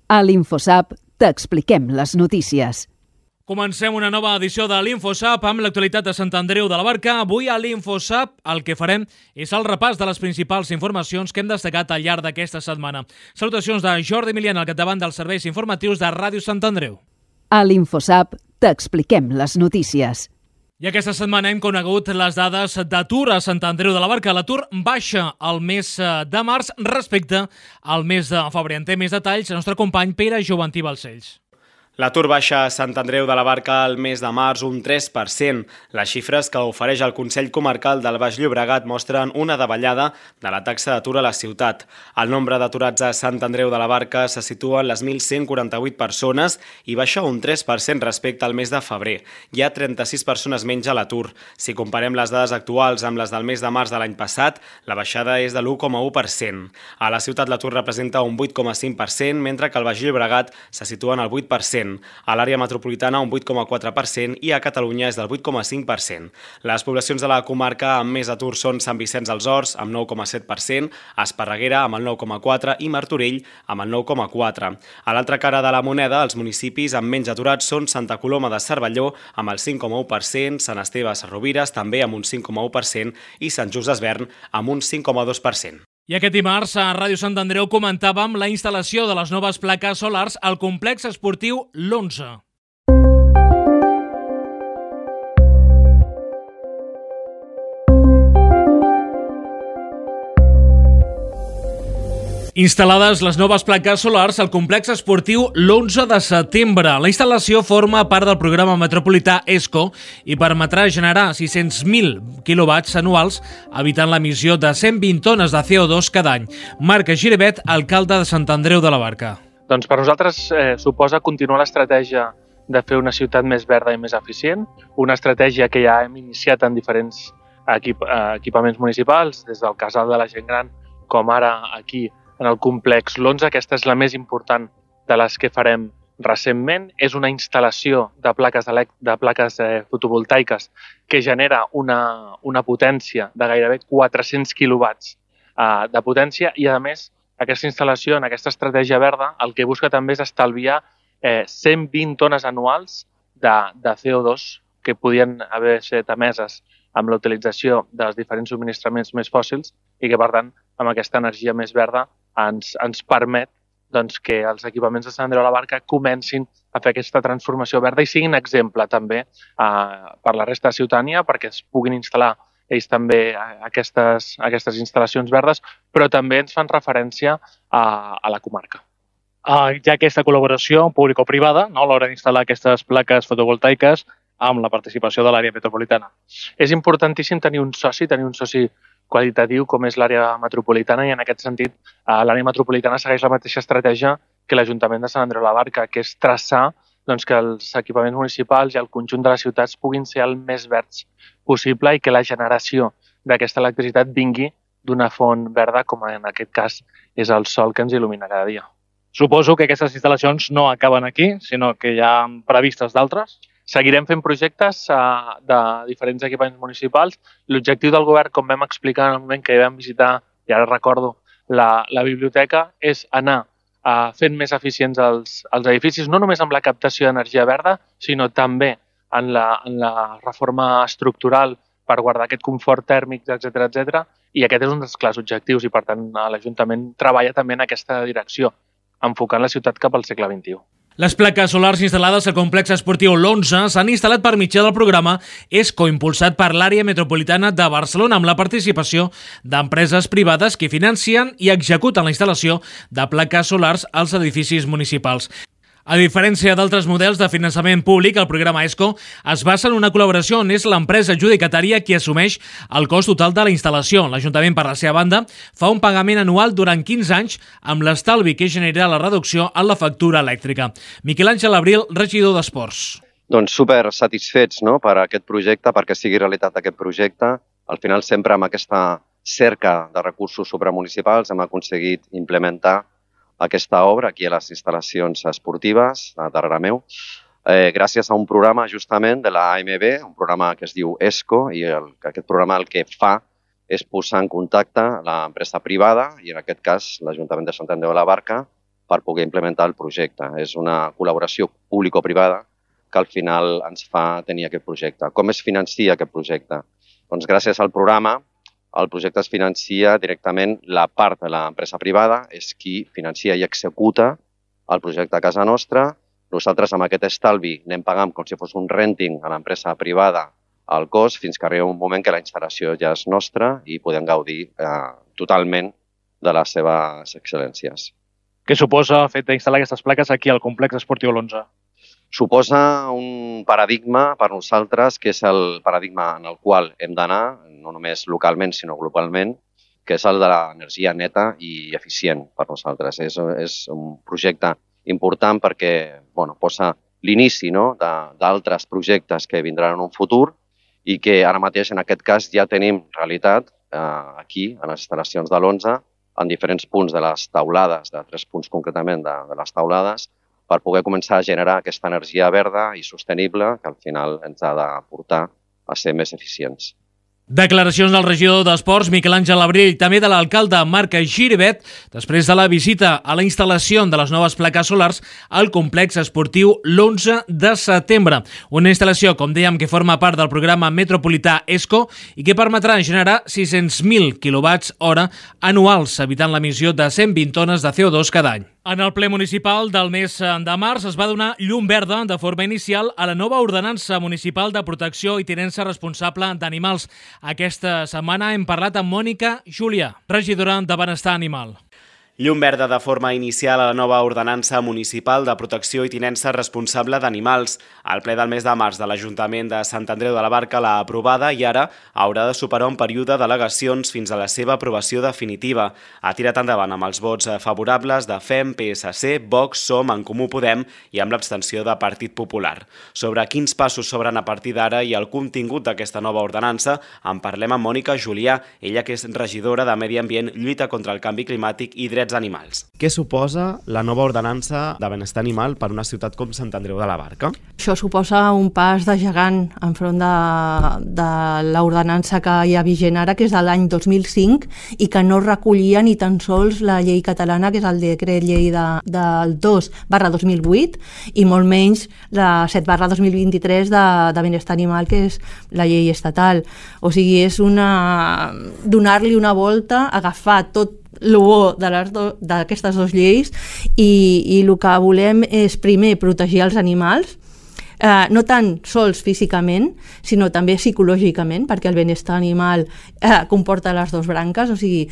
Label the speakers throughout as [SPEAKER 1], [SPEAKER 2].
[SPEAKER 1] A l'InfoSap t'expliquem les notícies.
[SPEAKER 2] Comencem una nova edició de l'InfoSap amb l'actualitat de Sant Andreu de la Barca. Avui a l'InfoSap el que farem és el repàs de les principals informacions que hem destacat al llarg d'aquesta setmana. Salutacions de Jordi Milian al capdavant dels serveis informatius de Ràdio Sant Andreu.
[SPEAKER 1] A l'InfoSap t'expliquem les notícies.
[SPEAKER 2] I aquesta setmana hem conegut les dades d'atur a Sant Andreu de la Barca. L'atur baixa el mes de març respecte al mes de febrer. En té més detalls el nostre company Pere Joventí Balcells.
[SPEAKER 3] L'atur baixa a Sant Andreu de la Barca al mes de març un 3%. Les xifres que ofereix el Consell Comarcal del Baix Llobregat mostren una davallada de la taxa d'atur a la ciutat. El nombre d'aturats a Sant Andreu de la Barca se situa en les 1.148 persones i baixa un 3% respecte al mes de febrer. Hi ha 36 persones menys a l'atur. Si comparem les dades actuals amb les del mes de març de l'any passat, la baixada és de l'1,1%. A la ciutat l'atur representa un 8,5%, mentre que al Baix Llobregat se situa en el 8%. A l'àrea metropolitana un 8,4% i a Catalunya és del 8,5%. Les poblacions de la comarca amb més atur són Sant Vicenç dels Horts amb 9,7%, Esparreguera amb el 9,4% i Martorell amb el 9,4%. A l'altra cara de la moneda, els municipis amb menys aturats són Santa Coloma de Cervelló amb el 5,1%, Sant Esteve Sesrovires també amb un 5,1% i Sant Just Desvern amb un 5,2%.
[SPEAKER 2] I aquest dimarts a Ràdio Sant Andreu comentàvem la instal·lació de les noves plaques solars al complex esportiu l'11. Instal·lades les noves plaques solars al complex esportiu l'11 de setembre. La instal·lació forma part del programa metropolità ESCO i permetrà generar 600.000 quilowatts anuals, evitant l'emissió de 120 tones de CO2 cada any. Marc Giribet, alcalde de Sant Andreu de la Barca.
[SPEAKER 4] Doncs per nosaltres suposa continuar l'estratègia de fer una ciutat més verda i més eficient, una estratègia que ja hem iniciat en diferents equipaments municipals, des del Casal de la Gent Gran com ara aquí en el complex l'11. Aquesta és la més important de les que farem recentment. És una instal·lació de plaques fotovoltaiques que genera una potència de gairebé 400 quilowatts de potència i, a més, aquesta instal·lació en aquesta estratègia verda el que busca també és estalviar 120 tones anuals de CO2 que podien haver estat emeses amb la utilització dels diferents subministraments més fòssils i que, per tant, amb aquesta energia més verda ens permet que els equipaments de Sant Andreu de la Barca comencin a fer aquesta transformació verda i siguin exemple també per la resta de ciutadania perquè es puguin instal·lar ells també aquestes instal·lacions verdes, però també ens fan referència a la comarca.
[SPEAKER 5] Hi ha aquesta col·laboració público-privada a l'hora d'instal·lar aquestes plaques fotovoltaiques amb la participació de l'àrea metropolitana.
[SPEAKER 4] És importantíssim tenir un soci qualitatiu com és l'àrea metropolitana i en aquest sentit l'àrea metropolitana segueix la mateixa estratègia que l'Ajuntament de Sant Andreu de la Barca, que és traçar que els equipaments municipals i el conjunt de les ciutats puguin ser el més verds possible i que la generació d'aquesta electricitat vingui d'una font verda com en aquest cas és el sol que ens il·lumina cada dia.
[SPEAKER 5] Suposo que aquestes instal·lacions no acaben aquí, sinó que hi ha previstes d'altres.
[SPEAKER 4] Seguirem fent projectes de diferents equipaments municipals. L'objectiu del govern, com vam explicar en el moment que vam visitar, i ara recordo, la biblioteca, és anar fent més eficients els edificis, no només amb la captació d'energia verda, sinó també en la reforma estructural per guardar aquest confort tèrmic, etc. I aquest és un dels clars objectius i, per tant, l'Ajuntament treballa també en aquesta direcció, enfocant la ciutat cap al segle XXI.
[SPEAKER 2] Les plaques solars instal·lades al complex esportiu l'11 s'han instal·lat per mitjà del programa ESCO, impulsat per l'àrea metropolitana de Barcelona, amb la participació d'empreses privades que financen i executen la instal·lació de plaques solars als edificis municipals. A diferència d'altres models de finançament públic, el programa ESCO es basa en una col·laboració on és l'empresa adjudicatària qui assumeix el cost total de la instal·lació. L'Ajuntament, per la seva banda, fa un pagament anual durant 15 anys amb l'estalvi que genera la reducció en la factura elèctrica. Miquel Àngel Abril, regidor d'Esports.
[SPEAKER 6] Doncs super satisfets per aquest projecte, perquè sigui realitat aquest projecte. Al final, sempre amb aquesta cerca de recursos supramunicipals hem aconseguit implementar aquesta obra aquí a les instal·lacions esportives darrere meu, gràcies a un programa justament de la AMB, un programa que es diu ESCO, i aquest programa el que fa és posar en contacte l'empresa privada, i en aquest cas l'Ajuntament de Sant Andreu de la Barca, per poder implementar el projecte. És una col·laboració público-privada que al final ens fa tenir aquest projecte. Com es financia aquest projecte? Doncs gràcies al programa, el projecte es financia directament la part de l'empresa privada, és qui financia i executa el projecte a casa nostra. Nosaltres amb aquest estalvi anem pagant com si fos un renting a l'empresa privada al cost fins que arriba un moment que la instal·lació ja és nostra i podem gaudir totalment de les seves excel·lències.
[SPEAKER 5] Què suposa el fet d'instal·lar aquestes plaques aquí al complex esportiu l'11?
[SPEAKER 6] Suposa un paradigma per nosaltres, que és el paradigma en el qual hem d'anar, no només localment sinó globalment, que és el de l'energia neta i eficient per nosaltres. És un projecte important perquè posa l'inici d'altres projectes que vindran en un futur i que ara mateix, en aquest cas, ja tenim realitat aquí, a les instal·lacions de l'11, en diferents punts de les taulades, de 3 punts concretament de les taulades, per poder començar a generar aquesta energia verda i sostenible que al final ens ha de portar a ser més eficients.
[SPEAKER 2] Declaracions del regidor d'Esports, Miquel Àngel Abril, i també de l'alcalde Marc Giribet, després de la visita a la instal·lació de les noves plaques solars al complex esportiu l'11 de setembre. Una instal·lació, com dèiem, que forma part del programa metropolità ESCO i que permetrà generar 600.000 kWh anuals, evitant l'emissió de 120 tones de CO2 cada any. En el ple municipal del mes de març es va donar llum verda de forma inicial a la nova ordenança municipal de protecció i tinença responsable d'animals. Aquesta setmana hem parlat amb Mònica Júlia, regidora de Benestar Animal.
[SPEAKER 3] Llum verda de forma inicial a la nova ordenança municipal de protecció i tinença responsable d'animals. El ple del mes de març de l'Ajuntament de Sant Andreu de la Barca l'ha aprovada i ara haurà de superar un període d'al·legacions fins a la seva aprovació definitiva. Ha tirat endavant amb els vots favorables de FEM, PSC, Vox, SOM, En Comú Podem i amb l'abstenció de Partit Popular. Sobre quins passos s'obren a partir d'ara i el contingut d'aquesta nova ordenança en parlem amb Mònica Julià, ella que és regidora de Medi Ambient, Lluita contra el Canvi Climàtic i Drets Animals.
[SPEAKER 7] Què suposa la nova ordenança de benestar animal per una ciutat com Sant Andreu de la Barca?
[SPEAKER 8] Això suposa un pas de gegant enfront de l'ordenança que hi ha vigent ara, que és de l'any 2005 i que no recollia ni tan sols la llei catalana, que és el decret llei del 2/2008 i molt menys la 7/2023 de benestar animal, que és la llei estatal. O sigui, és donar-li una volta, agafar tot el bo d'aquestes dues lleis i el que volem és primer protegir els animals, no tan sols físicament sinó també psicològicament, perquè el benestar animal comporta les dues branques. O sigui,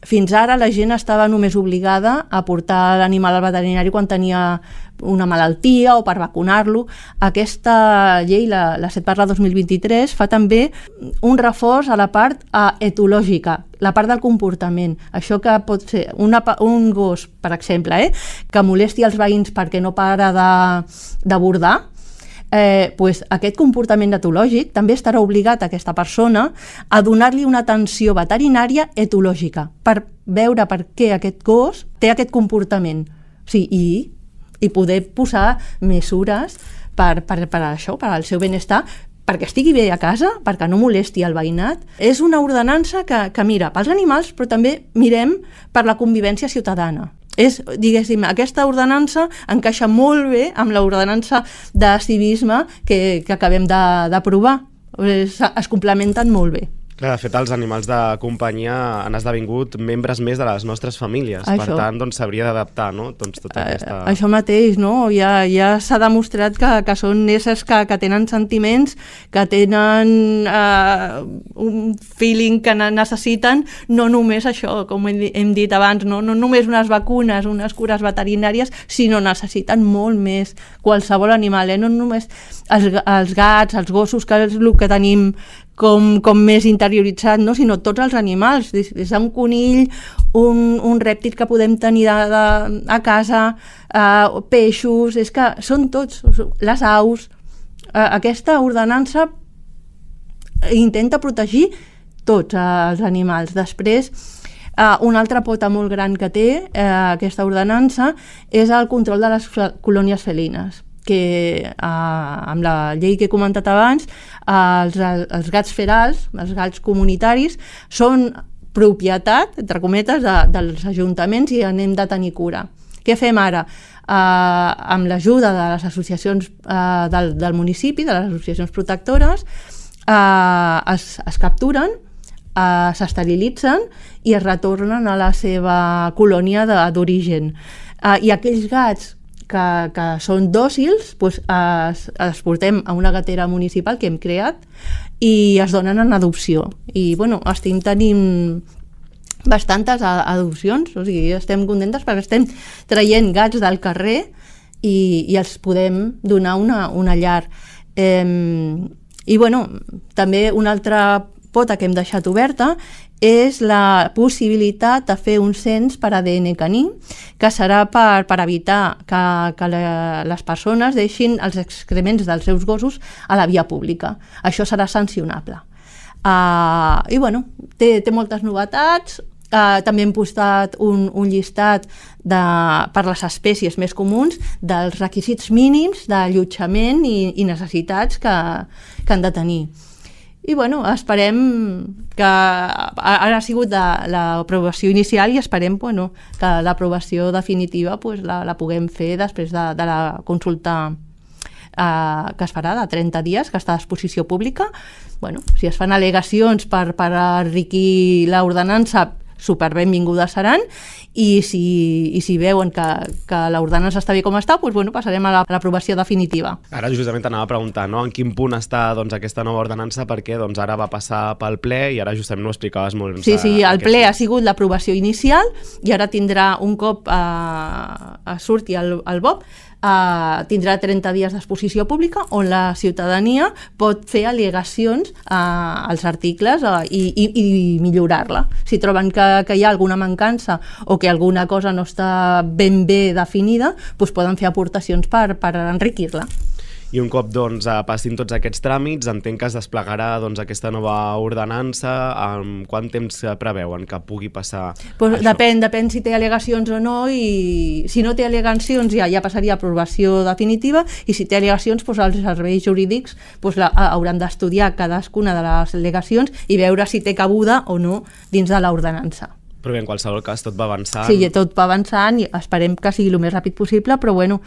[SPEAKER 8] fins ara la gent estava només obligada a portar l'animal al veterinari quan tenia una malaltia o per vacunar-lo. Aquesta llei, la 7/2023, fa també un reforç a la part etològica, la part del comportament. Això que pot ser un gos, per exemple, que molesti els veïns perquè no para de bordar, aquest comportament etològic també estarà obligat a aquesta persona a donar-li una atenció veterinària etològica per veure per què aquest gos té aquest comportament. O sigui, i poder posar mesures per això, per al seu benestar, perquè estigui bé a casa, perquè no molesti el veïnat. És una ordenança que mira pels animals, però també mirem per la convivència ciutadana. Diguéssim, aquesta ordenança encaixa molt bé amb l'ordenança de civisme que acabem d'aprovar. Es complementen molt bé.
[SPEAKER 7] Clar, de fet, els animals de companyia han esdevingut membres més de les nostres famílies. Per tant, s'hauria d'adaptar, no? Tota aquesta...
[SPEAKER 8] Això mateix, no? Ja s'ha demostrat que són éssers que tenen sentiments, que tenen un feeling que necessiten, no només això, com hem dit abans, no només unes vacunes, unes cures veterinàries, sinó necessiten molt més qualsevol animal, no només els gats, els gossos, que és el que tenim com més interioritzat, no? Sinó tots els animals, des d'un conill, un rèptil que podem tenir a casa, peixos, és que són tots, les aus. Aquesta ordenança intenta protegir tots els animals. Després, una altra pota molt gran que té aquesta ordenança és el control de les colònies felines, que amb la llei que he comentat abans, els gats ferals, els gats comunitaris, són propietat, entre cometes, dels ajuntaments i anem de tenir cura. Què fem ara? Amb l'ajuda de les associacions del municipi, de les associacions protectores, es capturen, s'esterilitzen i es retornen a la seva colònia d'origen. I aquells gats que són dòcils, doncs els portem a una gatera municipal que hem creat i es donen en adopció. I bueno, estem tenint bastantes adopcions, o sigui, estem contentes perquè estem traient gats del carrer i els podem donar una llar. I bueno, també una altra pota que hem deixat oberta és la possibilitat de fer un cens per ADN caní, que serà per evitar que les persones deixin els excrements dels seus gossos a la via pública. Això serà sancionable. I bueno, té moltes novetats. També hem postat un llistat per les espècies més comuns dels requisits mínims d'allotjament i necessitats que han de tenir. I bueno, esperem que ara ha sigut l'aprovació inicial i esperem que l'aprovació definitiva la puguem fer després de la consulta que es farà de 30 dies, que està a disposició pública. Bueno, si es fan al·legacions per enriquir l'ordenança, superbenvingudes seran, i si veuen que l'ordenança està bé com està, doncs bueno, passarem a l'aprovació definitiva.
[SPEAKER 7] Ara justament t'anava a preguntar, no? En quin punt està aquesta nova ordenança, perquè ara va passar pel ple i ara justament ho explicaves molt.
[SPEAKER 8] Sí, el ple ha sigut l'aprovació inicial i ara tindrà, un cop surti el BOP, tindrà 30 dies d'exposició pública on la ciutadania pot fer al·legacions als articles i millorar-la. Si troben que hi ha alguna mancança o que alguna cosa no està ben bé definida, doncs poden fer aportacions per enriquir-la.
[SPEAKER 7] I un cop passin tots aquests tràmits, entenc que es desplegarà aquesta nova ordenança. Quant temps preveuen que pugui passar això?
[SPEAKER 8] Depèn si té al·legacions o no, i si no té al·legacions ja passaria a aprovació definitiva, i si té al·legacions els serveis jurídics hauran d'estudiar cadascuna de les al·legacions i veure si té cabuda o no dins de l'ordenança.
[SPEAKER 7] Però bé, en qualsevol cas, tot va avançant.
[SPEAKER 8] Sí, tot va avançant i esperem que sigui el més ràpid possible, però bueno,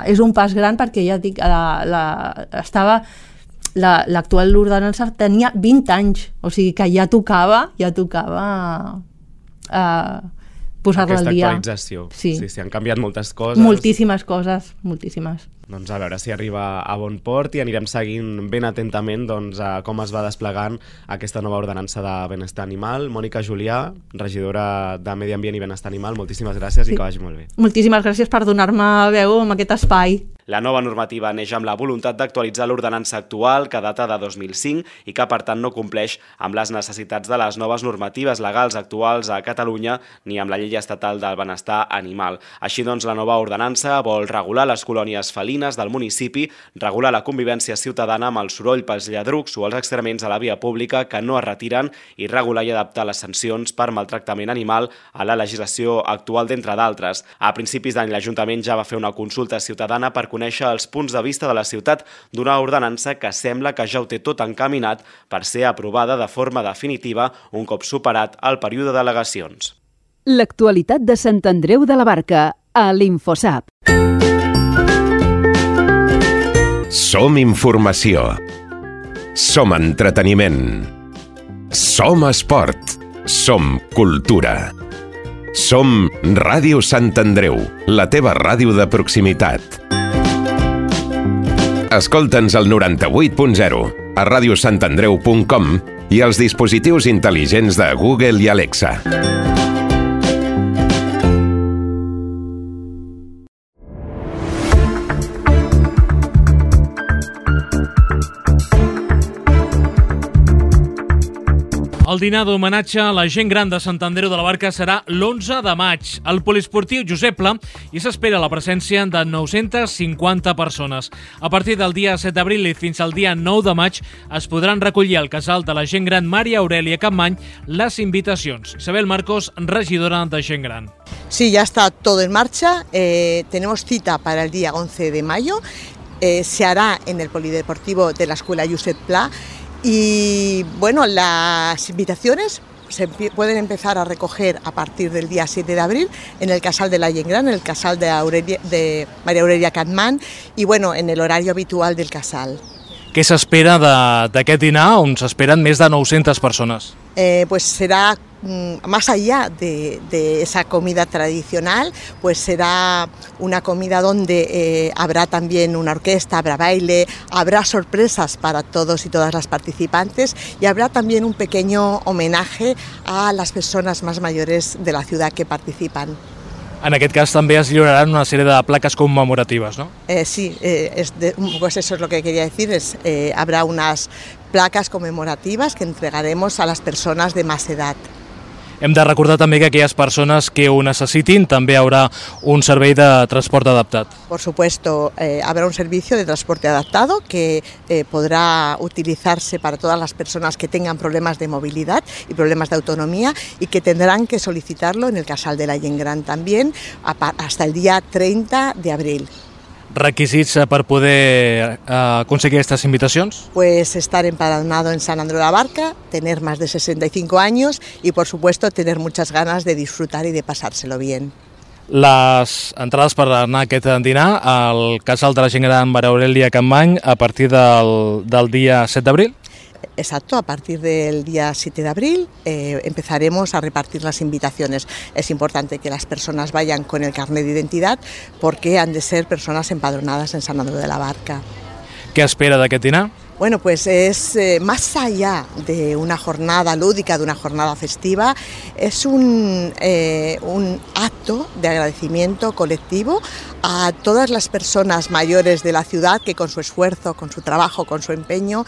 [SPEAKER 8] és un pas gran perquè ja dic, l'actual ordenança tenia 20 anys, o sigui que ja tocava posar-la al dia.
[SPEAKER 7] Aquesta actualització. Sí, han canviat moltes coses.
[SPEAKER 8] Moltíssimes coses, moltíssimes.
[SPEAKER 7] Doncs a veure si arriba a bon port i anirem seguint ben atentament com es va desplegant aquesta nova ordenança de benestar animal. Mònica Julià, regidora de Medi Ambient i Benestar Animal, moltíssimes gràcies i que vagi molt bé.
[SPEAKER 8] Moltíssimes gràcies per donar-me veu en aquest espai.
[SPEAKER 3] La nova normativa neix amb la voluntat d'actualitzar l'ordenança actual, que data de 2005 i que, per tant, no compleix amb les necessitats de les noves normatives legals actuals a Catalunya ni amb la llei estatal del benestar animal. Així doncs, la nova ordenança vol regular les colònies felines del municipi, regular la convivència ciutadana amb el soroll pels lladrucs o els excrements a la via pública que no es retiren i regular i adaptar les sancions per maltractament animal a la legislació actual, d'entre d'altres. A principis d'any, l'Ajuntament ja va fer una consulta ciutadana per conèixer els punts de vista de la ciutat d'una ordenança que sembla que ja ho té tot encaminat per ser aprovada de forma definitiva un cop superat el període d'al·legacions.
[SPEAKER 1] L'actualitat de Sant Andreu de la Barca, a l'Infosap.
[SPEAKER 9] Som informació. Som entreteniment. Som esport. Som cultura. Som Ràdio Sant Andreu, la teva ràdio de proximitat. Escolta'ns al 98.0, a radiosantandreu.com i als dispositius intel·ligents de Google i Alexa.
[SPEAKER 2] El dinar d'homenatge a la gent gran de Sant Andreu de la Barca serà l'11 de maig al poliesportiu Josep Pla i s'espera la presència de 950 persones. A partir del dia 7 d'abril i fins al dia 9 de maig es podran recollir al casal de la gent gran Maria Aurelia Capmany les invitacions. Isabel Marcos, regidora de gent gran.
[SPEAKER 10] Sí, ya está todo en marcha. Tenemos cita para el día 11 de mayo. Se hará en el polideportivo de la Escuela Josep Pla. Y bueno, las invitaciones se pueden empezar a recoger a partir del día 7 de abril en el Casal de la Gent Gran, en el Casal de Maria Aurelia Capmany y bueno, en el horario habitual del Casal.
[SPEAKER 2] Què s'espera d'aquest dinar on s'esperen més de 900 persones?
[SPEAKER 10] Pues será más allá de esa comida tradicional, pues será una comida donde habrá también una orquesta, habrá baile, habrá sorpresas para todos y todas las participantes y habrá también un pequeño homenaje a las personas más mayores de la ciudad que participan.
[SPEAKER 2] En aquest cas també es lliuraran una sèrie de plaques commemoratives, ¿no?
[SPEAKER 10] Sí, pues eso es lo que quería decir, habrá unas placas conmemorativas que entregaremos a las personas de más edad.
[SPEAKER 2] Hem de recordar també que aquelles persones que ho necessitin també hi haurà un servei de transport adaptat.
[SPEAKER 10] Por supuesto, habrá un servicio de transporte adaptado que podrá utilizarse para todas las personas que tengan problemas de movilidad y problemas de autonomía y que tendrán que solicitarlo en el Casal de la Gent Gran también hasta el día 30 de abril.
[SPEAKER 2] Requisits per poder aconseguir aquestes invitacions?
[SPEAKER 10] Pues estar empadronado en Sant Andreu de la Barca, tener más de 65 años y por supuesto tener muchas ganas de disfrutar y de pasárselo bien.
[SPEAKER 2] Les entrades per anar a aquest dinar al Casal de la Gent Gran Maria Aurelia Capmany a partir del dia 7 d'abril?
[SPEAKER 10] Exacto, a partir del día 7 de abril empezaremos a repartir las invitaciones. Es importante que las personas vayan con el carnet de identidad porque han de ser personas empadronadas en Sant Andreu de la Barca.
[SPEAKER 2] Què espera d'aquest dinar?
[SPEAKER 10] Bueno, pues es más allá de una jornada lúdica, de una jornada festiva, es un acto de agradecimiento colectivo a todas las personas mayores de la ciudad que con su esfuerzo, con su trabajo, con su empeño,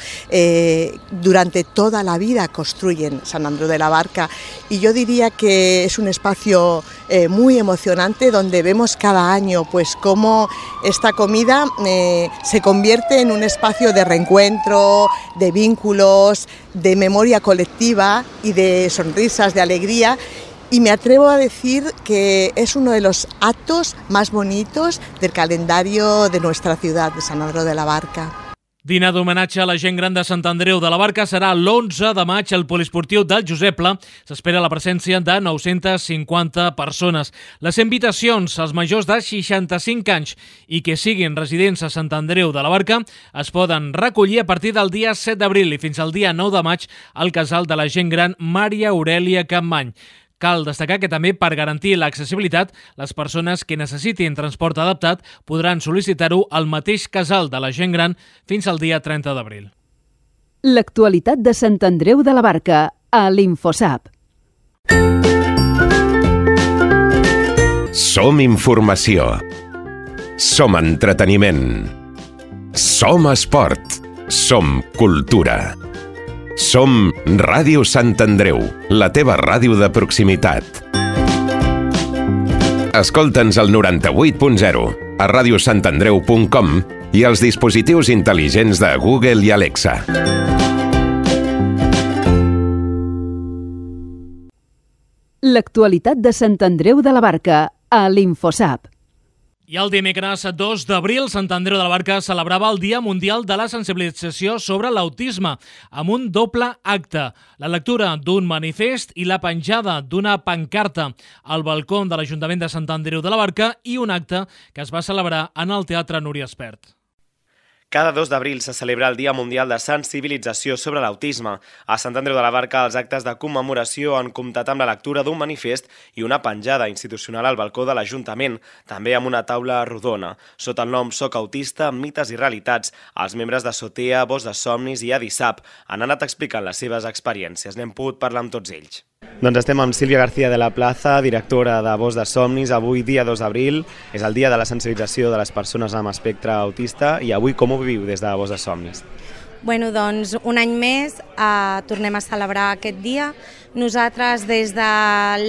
[SPEAKER 10] durante toda la vida construyen Sant Andreu de la Barca. Y yo diría que es un espacio muy emocionante donde vemos cada año pues cómo esta comida se convierte en un espacio de reencuentro, de vínculos, de memoria colectiva y de sonrisas, de alegría. Y me atrevo a decir que es uno de los actos más bonitos del calendario de nuestra ciudad, de Sant Andreu de la Barca.
[SPEAKER 2] Dinar d'homenatge a la gent gran de Sant Andreu de la Barca serà l'11 de maig al poliesportiu del Josep Pla. S'espera la presència de 950 persones. Les invitacions als majors de 65 anys i que siguin residents a Sant Andreu de la Barca es poden recollir a partir del dia 7 d'abril i fins al dia 9 de maig al Casal de la Gent Gran Maria Aurelia Capmany. Cal destacar que també per garantir l'accessibilitat, les persones que necessitin transport adaptat podran sol·licitar-ho al mateix Casal de la Gent Gran fins al dia 30 d'abril.
[SPEAKER 1] L'actualitat de Sant Andreu de la Barca a l'Infosap.
[SPEAKER 9] Som informació. Som entreteniment. Som esport. Som cultura. Som Ràdio Sant Andreu, la teva ràdio de proximitat. Escolta'ns al 98.0, a radiosantandreu.com i als dispositius intel·ligents de Google i Alexa.
[SPEAKER 1] L'actualitat de Sant Andreu de la Barca a l'Infosap.
[SPEAKER 2] I el dimecres 2 d'abril, Sant Andreu de la Barca celebrava el Dia Mundial de la Sensibilització sobre l'Autisme, amb un doble acte, la lectura d'un manifest i la penjada d'una pancarta al balcó de l'Ajuntament de Sant Andreu de la Barca i un acte que es va celebrar en el Teatre Núria Espert.
[SPEAKER 3] Cada 2 d'abril se celebra el Dia Mundial de Sensibilització sobre l'Autisme. A Sant Andreu de la Barca, els actes de commemoració han comptat amb la lectura d'un manifest i una penjada institucional al balcó de l'Ajuntament, també amb una taula rodona. Sota el nom Soc Autista, mites i realitats, els membres de Sotea, Voz de Somnis i Adisap han anat explicant les seves experiències. N'hem pogut parlar amb tots ells.
[SPEAKER 7] Doncs estem amb Sílvia García de la Plaza, directora de Voz de Somnis. Avui, dia 2 d'abril, és el dia de la sensibilització de les persones amb espectre autista i avui com ho viviu des de Voz de Somnis?
[SPEAKER 11] Bueno, doncs un any més tornem a celebrar aquest dia. Nosaltres des de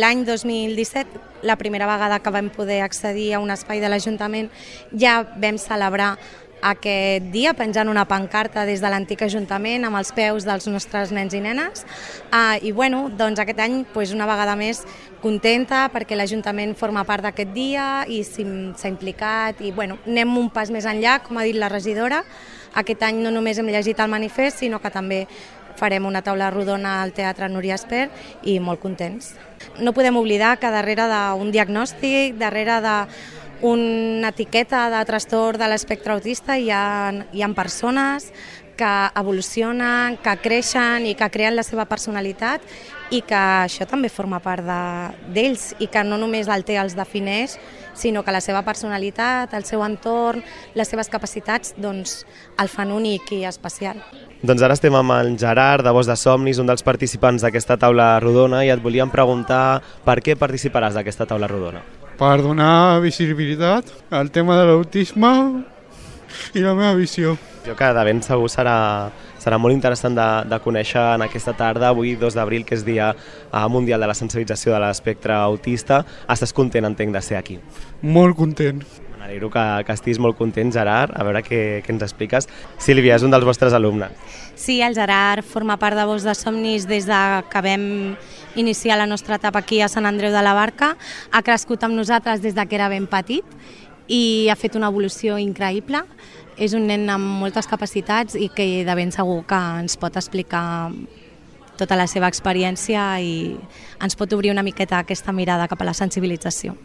[SPEAKER 11] l'any 2017, la primera vegada que vam poder accedir a un espai de l'Ajuntament, ja vam celebrar aquest dia penjant una pancarta des de l'antic Ajuntament amb els peus dels nostres nens i nenes i bueno, doncs aquest any una vegada més contenta perquè l'Ajuntament forma part d'aquest dia i s'ha implicat i bueno, anem un pas més enllà, com ha dit la regidora. Aquest any no només hem llegit el manifest, sinó que també farem una taula rodona al Teatre Núria Espert i molt contents. No podem oblidar que darrere d'un diagnòstic, darrere d'una etiqueta de trastorn de l'espectre autista hi ha persones que evolucionen, que creixen i que creen la seva personalitat i que això també forma part d'ells i que no només el TEA els defineix, sinó que la seva personalitat, el seu entorn, les seves capacitats, doncs el fan únic i especial.
[SPEAKER 7] Doncs ara estem amb el Gerard, de Voz de Somnis, un dels participants d'aquesta taula rodona, i et volíem preguntar per què participaràs d'aquesta taula rodona.
[SPEAKER 12] Per donar visibilitat al tema de l'autisme i la meva visió.
[SPEAKER 7] Jo que de ben segur serà molt interessant de conèixer en aquesta tarda, avui 2 d'abril, que és Dia Mundial de la Sensibilització de l'Espectre Autista. Estàs content, entenc, de ser aquí?
[SPEAKER 12] Molt content.
[SPEAKER 7] M'alegro que estiguis molt content, Gerard. A veure què ens expliques. Sílvia, és un dels vostres alumnes.
[SPEAKER 11] Sí, el Gerard forma part de Voz de Somnis des que vam iniciar la nostra etapa aquí a Sant Andreu de la Barca. Ha crescut amb nosaltres des que era ben petit i ha fet una evolució increïble. És un nen amb moltes capacitats i que de ben segur que ens pot explicar tota la seva experiència i ens pot obrir una miqueta aquesta mirada cap a la sensibilització.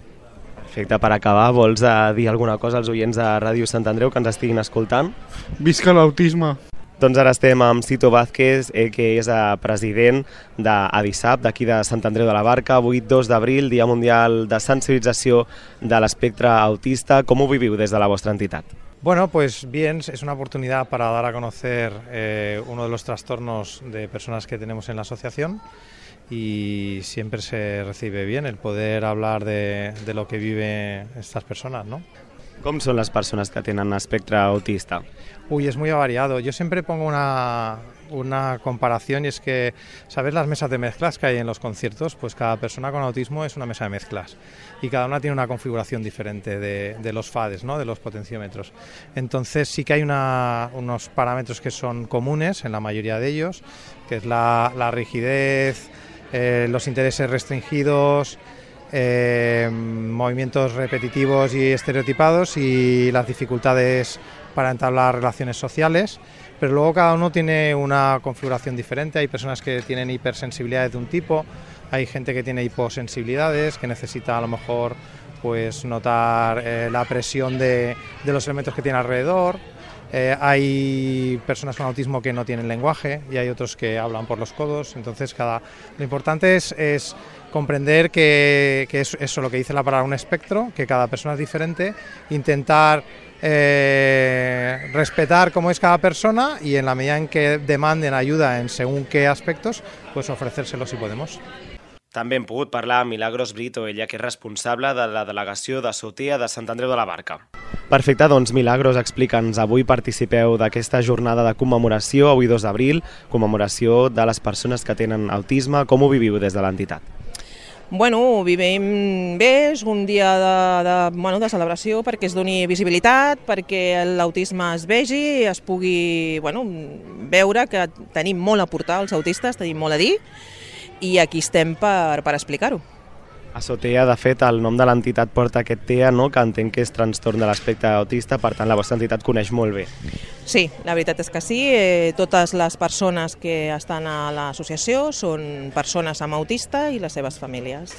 [SPEAKER 7] Perfecte, per acabar, vols dir alguna cosa als oients de Ràdio Sant Andreu que ens estiguin escoltant?
[SPEAKER 12] Visca l'autisme!
[SPEAKER 7] Doncs ara estem amb Cito Vázquez, que és president d'ADISAP, d'aquí de Sant Andreu de la Barca. Avui, 2 d'abril, Dia Mundial de Sensibilització de l'Espectre Autista. ¿Cómo viviu des de la vostra entitat?
[SPEAKER 13] Bueno, pues bien, es una oportunidad para dar a conocer uno de los trastornos de personas que tenemos en la asociación y siempre se recibe bien el poder hablar de lo que viven estas personas, ¿no?
[SPEAKER 7] Com són les persones que tenen espectre autista?
[SPEAKER 13] Uy, es muy variado. Yo siempre pongo una comparación y es que, ¿sabes las mesas de mezclas que hay en los conciertos? Pues cada persona con autismo es una mesa de mezclas y cada una tiene una configuración diferente de los FADs, ¿no? De los potenciómetros. Entonces sí que hay unos parámetros que son comunes en la mayoría de ellos, que es la rigidez, los intereses restringidos, movimientos repetitivos y estereotipados y las dificultades para entablar relaciones sociales, pero luego cada uno tiene una configuración diferente. Hay personas que tienen hipersensibilidades de un tipo, hay gente que tiene hiposensibilidades, que necesita a lo mejor pues notar la presión de los elementos que tiene alrededor. Hay personas con autismo que no tienen lenguaje y hay otros que hablan por los codos. Entonces lo importante es comprender que es eso lo que dice la palabra, un espectro, que cada persona es diferente, intentar respetar cómo es cada persona y en la medida en que demanden ayuda en según qué aspectos, pues ofrecérselo si podemos.
[SPEAKER 3] També hem pogut parlar amb Milagros Brito, ella que és responsable de la delegació de SOTEA de Sant Andreu de la Barca.
[SPEAKER 7] Perfecte, doncs Milagros, explica'ns, avui participeu d'aquesta jornada de commemoració, avui 2 d'abril, commemoració de les persones que tenen autisme. Com ho viviu des de l'entitat?
[SPEAKER 14] Bueno, ho vivim bé, és un dia de celebració perquè es doni visibilitat, perquè l'autisme es vegi, es pugui veure que tenim molt a aportar als autistes, tenim molt a dir, i aquí estem per explicar-ho.
[SPEAKER 7] A SOTEA, de fet, el nom de l'entitat porta aquest TEA, no? Que entenc que és trastorn de l'espectre autista, per tant la vostra entitat coneix molt bé.
[SPEAKER 14] Sí, la veritat és que sí. Totes les persones que estan a l'associació són persones amb autista i les seves famílies.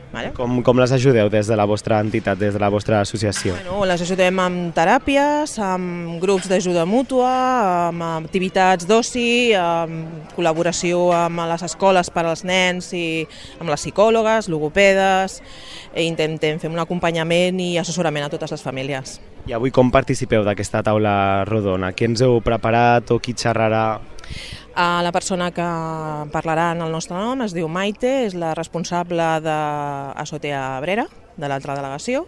[SPEAKER 14] Vale?
[SPEAKER 7] Com les ajudeu des de la vostra entitat, des de la vostra associació?
[SPEAKER 14] Les ajudem amb teràpies, amb grups d'ajuda mútua, amb activitats d'oci, amb col·laboració amb les escoles per als nens i amb les psicòlogues, logopedes, intentem fer un acompanyament i assessorament a totes les famílies.
[SPEAKER 7] I avui com participeu d'aquesta taula rodona? Què ens heu preparat o qui xerrarà?
[SPEAKER 14] La persona que parlarà en el nostre nom es diu Maite, és la responsable de SOTEA Abrera, de l'altra delegació,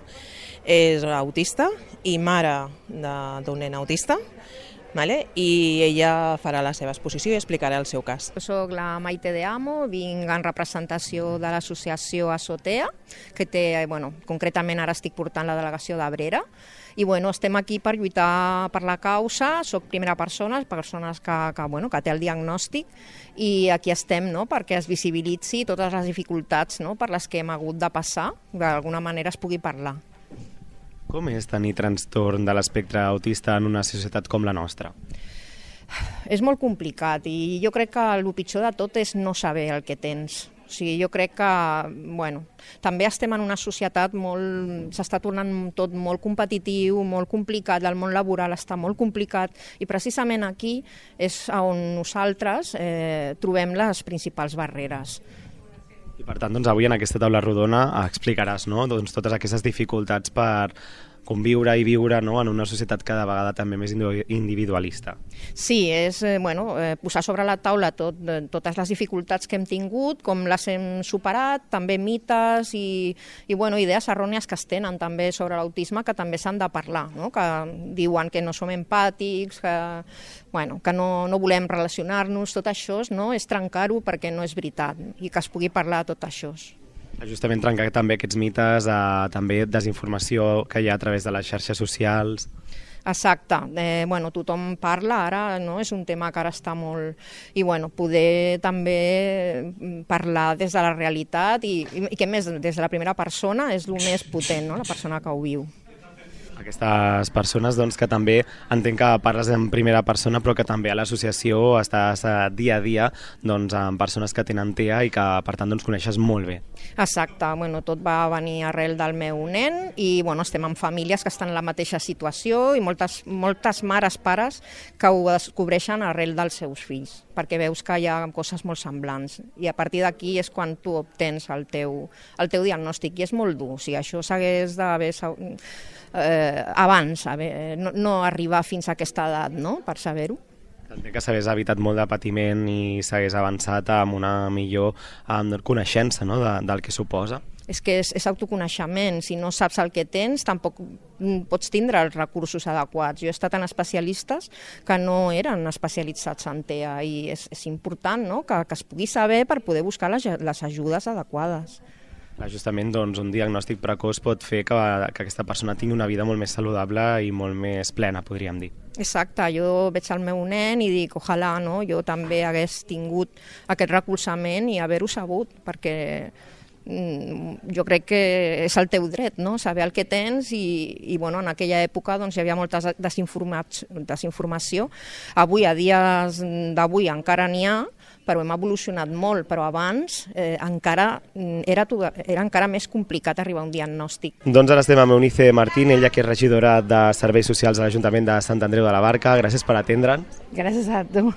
[SPEAKER 14] és autista i mare d'un nen autista, i ella farà la seva exposició i explicarà el seu cas.
[SPEAKER 15] Soc la Maite de Amo, vinc en representació de l'associació SOTEA, que té, concretament ara estic portant la delegació d'Abrera, i estem aquí per lluitar per la causa. Soc primera persona, persones que té el diagnòstic, i aquí estem perquè es visibilitzi totes les dificultats per les que hem hagut de passar, d'alguna manera es pugui parlar.
[SPEAKER 7] Com és tenir trastorn de l'espectre autista en una societat com la nostra?
[SPEAKER 15] És molt complicat i jo crec que el pitjor de tot és no saber el que tens. O sigui, jo crec que, bueno, també estem en una societat s'està tornant tot molt competitiu, molt complicat, el món laboral està molt complicat i precisament aquí és on nosaltres trobem les principals barreres.
[SPEAKER 7] I per tant, avui en aquesta taula rodona explicaràs totes aquestes dificultats per conviure i viure en una societat cada vegada també més individualista. Sí,
[SPEAKER 15] és posar sobre la taula totes les dificultats que hem tingut, com les hem superat, també mites i idees errònies que es tenen també sobre l'autisme que també s'han de parlar, que diuen que no som empàtics, que no volem relacionar-nos, tot això és trencar-ho perquè no és veritat i que es pugui parlar de tot això.
[SPEAKER 7] Justament trencar també aquests mites, també desinformació que hi ha a través de les xarxes socials.
[SPEAKER 15] Exacte. Tothom parla ara, és un tema que ara està molt... I poder també parlar des de la realitat i que més des de la primera persona és el més potent, la persona que ho viu.
[SPEAKER 7] Aquestes persones que també entenc que parles en primera persona però que també a l'associació estàs dia a dia amb persones que tenen TEA i que per tant coneixes molt bé.
[SPEAKER 15] Exacte, tot va venir arrel del meu nen i estem en famílies que estan en la mateixa situació i moltes mares, pares que ho descobreixen arrel dels seus fills perquè veus que hi ha coses molt semblants i a partir d'aquí és quan tu obtens el teu diagnòstic i és molt dur, o sigui, això s'hagués d'haver abans, no arribar fins a aquesta edat, per saber-ho.
[SPEAKER 7] Entenc que s'hagués evitat molt de patiment i s'hagués avançat amb una millor coneixença del que suposa.
[SPEAKER 15] És que és autoconeixement, si no saps el que tens tampoc pots tindre els recursos adequats. Jo he estat en especialistes que no eren especialitzats en TEA i és important que es pugui saber per poder buscar les ajudes adequades.
[SPEAKER 7] Justament un diagnòstic precoç pot fer que aquesta persona tingui una vida molt més saludable i molt més plena, podríem dir.
[SPEAKER 15] Exacte, jo veig el meu nen i dic, ojalà jo també hagués tingut aquest recolzament i haver-ho sabut, perquè jo crec que és el teu dret, saber el que tens i en aquella època hi havia molta desinformació. Avui, a dies d'avui, encara n'hi ha, però hem evolucionat molt, però abans era encara més complicat arribar a un diagnòstic.
[SPEAKER 7] Doncs ara estem amb Eunice Martín, ella que és regidora de Serveis Socials a l'Ajuntament de Sant Andreu de la Barca. Gràcies per atendre'ns.
[SPEAKER 16] Gràcies a tu.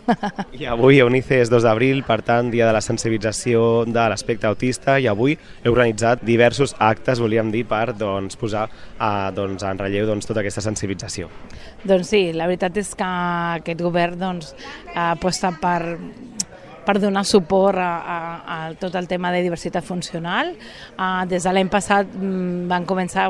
[SPEAKER 7] I avui, Eunice, és 2 d'abril, per tant, dia de la sensibilització de l'aspecte autista, i avui heu organitzat diversos actes, volíem dir, per posar en relleu tota aquesta sensibilització.
[SPEAKER 16] Doncs sí, la veritat és que aquest govern aposta per donar suport a tot el tema de diversitat funcional. Des de l'any passat van començar,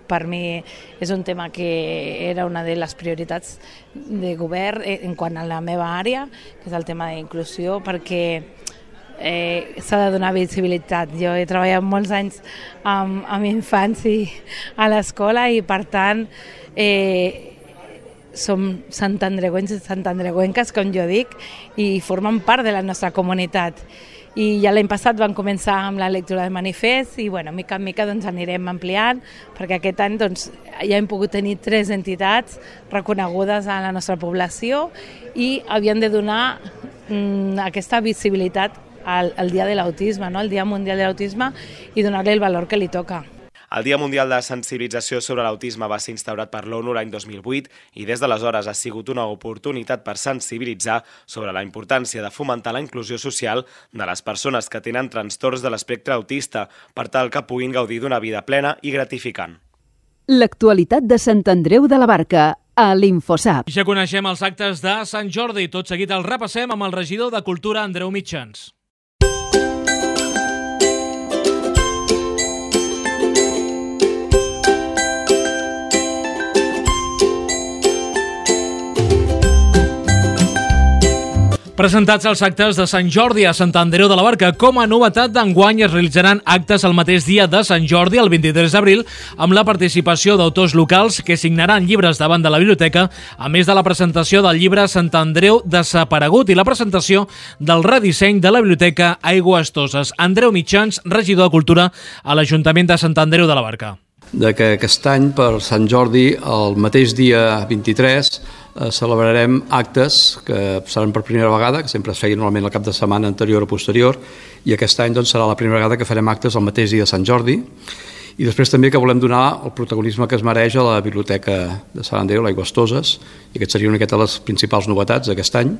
[SPEAKER 16] per mi és un tema que era una de les prioritats de govern en quant a la meva àrea, que és el tema d'inclusió, perquè s'ha de donar visibilitat. Jo he treballat molts anys amb infants a l'escola i per tant som santandreuencs i santandreuenques, com jo dic, i formen part de la nostra comunitat. I ja l'any passat vam començar amb la lectura de manifest i mica en mica anirem ampliant, perquè aquest any ja hem pogut tenir 3 entitats reconegudes a la nostra població i havien de donar aquesta visibilitat al Dia de l'Autisme, el Dia Mundial de l'Autisme, i donar-li el valor que li toca.
[SPEAKER 3] El Dia Mundial de Sensibilització sobre l'Autisme va ser instaurat per l'ONU l'any 2008 i des d'aleshores ha sigut una oportunitat per sensibilitzar sobre la importància de fomentar la inclusió social de les persones que tenen trastorns de l'espectre autista per tal que puguin gaudir d'una vida plena i gratificant.
[SPEAKER 1] L'actualitat de Sant Andreu de la Barca a l'Infosap.
[SPEAKER 2] Ja coneixem els actes de Sant Jordi. Tot seguit el repassem amb el regidor de Cultura, Andreu Mitjans. Presentats els actes de Sant Jordi a Sant Andreu de la Barca. Com a novetat d'enguany es realitzaran actes el mateix dia de Sant Jordi, el 23 d'abril, amb la participació d'autors locals que signaran llibres davant de la biblioteca, a més de la presentació del llibre Sant Andreu desaparegut i la presentació del redisseny de la biblioteca Aigües Toses. Andreu Mitjans, regidor de Cultura a l'Ajuntament de Sant Andreu de la Barca.
[SPEAKER 17] Que aquest any, per Sant Jordi, el mateix dia 23, celebrarem actes que seran per primera vegada, que sempre es feien normalment el cap de setmana anterior o posterior, i aquest any doncs, serà la primera vegada que farem actes el mateix dia de Sant Jordi. I després també que volem donar el protagonisme que es mereix a la Biblioteca de Sant Andreu, l'Aigües Toses, i aquest seria una de les principals novetats d'aquest any.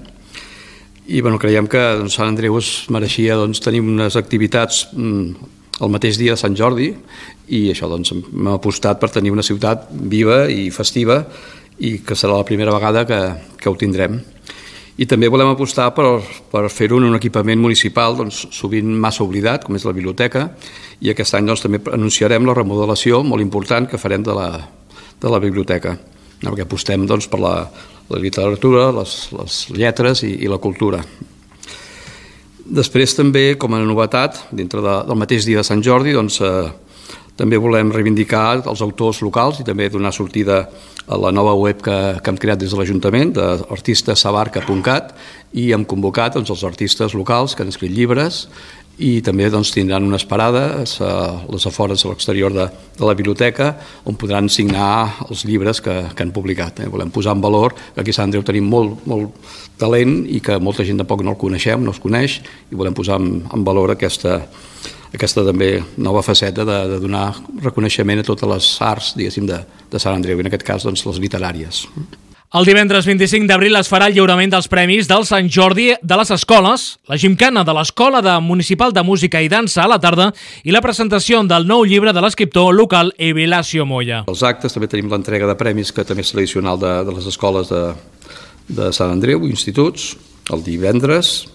[SPEAKER 17] I creiem que Sant Andreu es mereixia tenir unes activitats el mateix dia de Sant Jordi, i això hem apostat per tenir una ciutat viva i festiva, i que serà la primera vegada que ho tindrem. I també volem apostar per fer-ho en un equipament municipal sovint massa oblidat, com és la biblioteca, i aquest any també anunciarem la remodelació molt important que farem de la biblioteca, perquè apostem per la literatura, les lletres i la cultura. Després també, com a novetat, dintre del mateix dia de Sant Jordi, també volem reivindicar els autors locals i també donar sortida a la nova web que hem creat des de l'Ajuntament, d'artistasabarca.cat, i hem convocat els artistes locals que han escrit llibres i també tindran unes parades a les afores a l'exterior de la biblioteca on podran signar els llibres que han publicat. Volem posar en valor que aquí a Sant Andreu tenim molt talent i que molta gent tampoc no el coneixem, no es coneix, i volem posar en valor aquesta també nova faceta de donar reconeixement a totes les arts, diguéssim, de Sant Andreu, i en aquest cas les literàries.
[SPEAKER 2] El divendres 25 d'abril es farà el lliurament dels premis del Sant Jordi de les escoles, la gimcana de l'Escola Municipal de Música i Dansa a la tarda i la presentació del nou llibre de l'escriptor local Evilàcio Moya.
[SPEAKER 17] Els actes també tenim l'entrega de premis, que també és tradicional de les escoles de Sant Andreu, instituts, el divendres.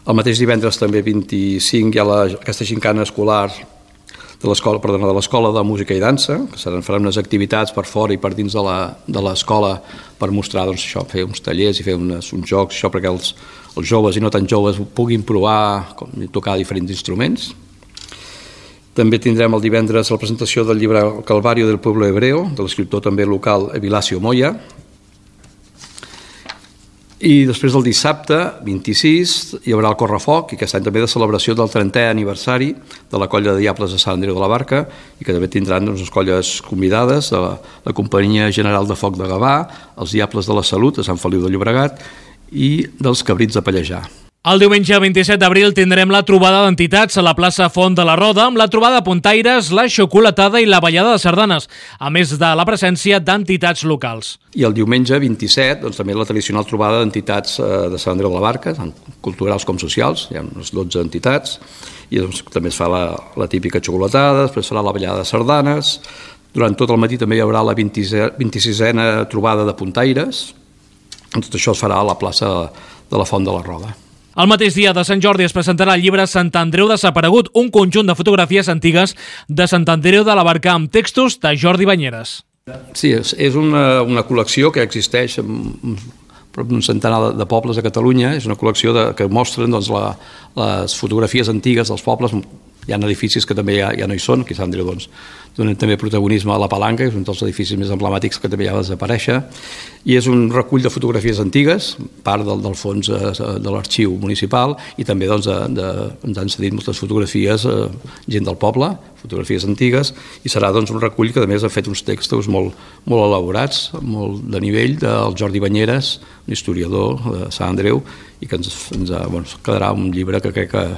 [SPEAKER 17] El mateix divendres també 25 hi ha aquesta gimcana escolar de l'Escola de Música i Dansa, que faran unes activitats per fora i per dins de l'escola per mostrar fer uns tallers i fer uns jocs, perquè els joves i no tan joves puguin provar tocar diferents instruments. També tindrem el divendres la presentació del llibre El Calvario del Pueblo Hebreo, de l'escriptor també local Evilàcio Moya. I després del dissabte, 26, hi haurà el Correfoc, i aquest any també de celebració del 30è aniversari de la Colla de Diables de Sant Andreu de la Barca, i que també tindran unes colles convidades de la Companyia General de Foc de Gavà, els Diables de la Salut de Sant Feliu de Llobregat i dels Cabrits de Pallejà.
[SPEAKER 2] El diumenge 27 d'abril tindrem la trobada d'entitats a la plaça Font de la Roda amb la trobada de puntaires, la xocolatada i la ballada de sardanes, a més de la presència d'entitats locals.
[SPEAKER 17] I el diumenge 27 també la tradicional trobada d'entitats de Sant Andreu de la Barca, tant culturals com socials, hi ha unes 12 entitats, i també es fa la típica xocolatada, després farà la ballada de sardanes, durant tot el matí també hi haurà la 26a trobada de puntaires, tot això es farà a la plaça de la Font de la Roda.
[SPEAKER 2] El mateix dia de Sant Jordi es presentarà el llibre Sant Andreu desaparegut, un conjunt de fotografies antigues de Sant Andreu de la Barca amb textos de Jordi Banyeres.
[SPEAKER 17] Sí, és una col·lecció que existeix en prop d'un centenar de pobles a Catalunya. És una col·lecció que mostren les fotografies antigues dels pobles. Hi ha edificis que també ja no hi són, aquí a Sant Andreu donen també protagonisme a la Palanca, que és un dels edificis més emblemàtics que també ja va desaparèixer, i és un recull de fotografies antigues, part del fons de l'arxiu municipal, i també ens han cedit moltes fotografies, gent del poble, fotografies antigues, i serà un recull que a més ha fet uns textos molt elaborats, molt de nivell, del Jordi Banyeres, un historiador de Sant Andreu, i que ens quedarà un llibre que crec que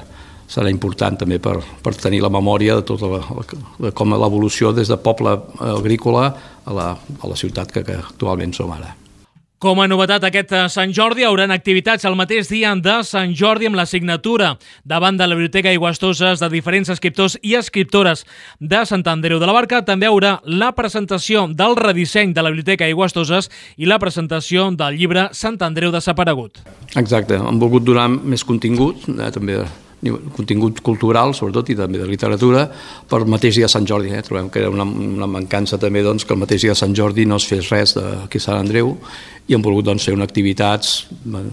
[SPEAKER 17] serà important també per tenir la memòria de com l'evolució des de poble agrícola a la ciutat que actualment som ara.
[SPEAKER 2] Com a novetat aquest Sant Jordi, hi haurà activitats el mateix dia de Sant Jordi amb la signatura davant de la Biblioteca Aigües Toses de diferents escriptors i escriptores de Sant Andreu de la Barca. També hi haurà la presentació del redisseny de la Biblioteca Aigües Toses i la presentació del llibre Sant Andreu desaparegut.
[SPEAKER 17] Exacte, hem volgut donar més contingut, també contingut cultural, sobretot, i també de literatura, per el mateix dia de Sant Jordi. Trobem que era una mancança també que el mateix dia de Sant Jordi no es fes res aquí a Sant Andreu, i hem volgut fer unes activitats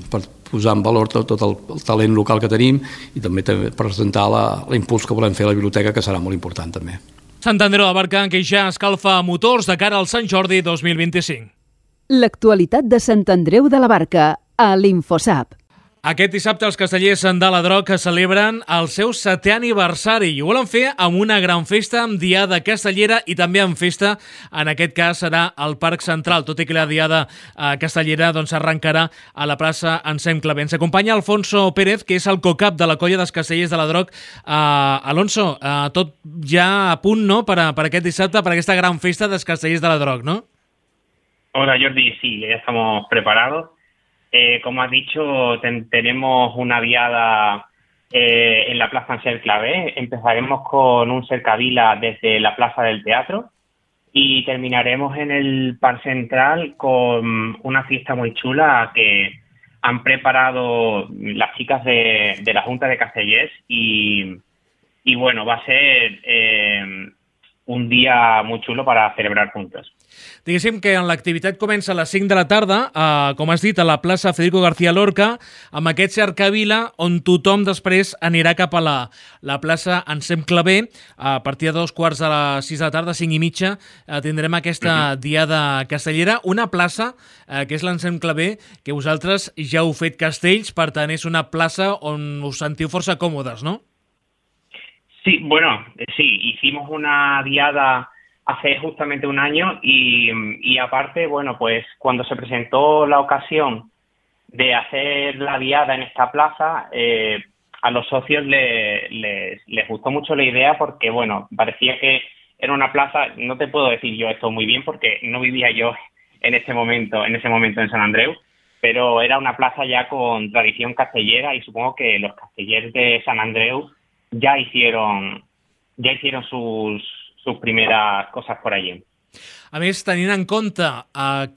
[SPEAKER 17] per posar en valor tot el talent local que tenim i també presentar l'impuls que volem fer a la biblioteca, que serà molt important també.
[SPEAKER 2] Sant Andreu de la Barca, que ja escalfa motors de cara al Sant Jordi 2025.
[SPEAKER 1] L'actualitat de Sant Andreu de la Barca a l'Infosap.
[SPEAKER 2] Aquest dissabte els castellers de la Droc celebren el seu 7è aniversari i ho volen fer amb una gran festa, amb diada castellera i també amb festa, en aquest cas serà al Parc Central, tot i que la diada castellera arrencarà a la plaça Anselm Clavé. Ens acompanya Alfonso Pérez, que és el co-cap de la colla dels castellers de la Droc. Alonso, tot ja a punt, no?, per aquest dissabte, per aquesta gran festa dels castellers de la Droc, ¿no?
[SPEAKER 18] Hola Jordi, sí, ya estamos preparados. Como has dicho, tenemos una diada en la Plaza Anselm Clavé. Empezaremos con un cercavila desde la Plaza del Teatro y terminaremos en el Parque Central con una fiesta muy chula que han preparado las chicas de la Junta de Castellers y bueno, va a ser un dia molt xulo per a celebrar juntos.
[SPEAKER 2] Diguéssim que l'activitat comença a les 5 de la tarda, com has dit, a la plaça Federico García Lorca, amb aquest cercavila on tothom després anirà cap a la plaça Anselm Clavé. A partir de 5:15 de la tarda, 5:30, tindrem aquesta diada castellera. Una plaça, que és l'Anselm Clavé, que vosaltres ja heu fet castells, per tant és una plaça on us sentiu força còmodes, no?
[SPEAKER 18] Sí, bueno, sí, hicimos una diada hace justamente un año y aparte, bueno, pues cuando se presentó la ocasión de hacer la diada en esta plaza, a los socios les gustó mucho la idea porque, bueno, parecía que era una plaza, no te puedo decir yo esto muy bien porque no vivía yo en ese momento en Sant Andreu, pero era una plaza ya con tradición castellera y supongo que los castellers de Sant Andreu ya hicieron sus primeras cosas por allí.
[SPEAKER 2] A més, tenint en compte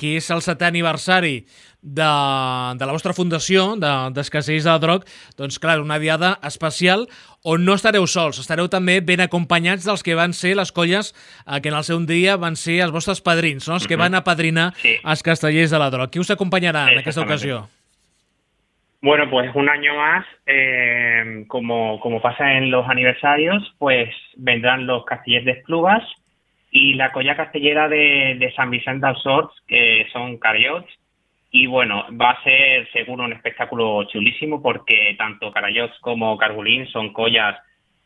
[SPEAKER 2] que és el 7è aniversari de la vostra fundació, dels Castellers de la Droc, doncs clar, una diada especial on no estareu sols, estareu també ben acompanyats dels que van ser les colles que en el seu dia van ser els vostres padrins, no? Els que van apadrinar els Castellers de la Droc. Qui us acompanyarà en aquesta ocasió?
[SPEAKER 18] Bueno, pues un año más, como pasa en los aniversarios, pues vendrán los castellers de Esplugas y la colla castellera de Sant Vicent dels Horts, que son carallots. Y bueno, va a ser seguro un espectáculo chulísimo porque tanto carallots como cargolín son collas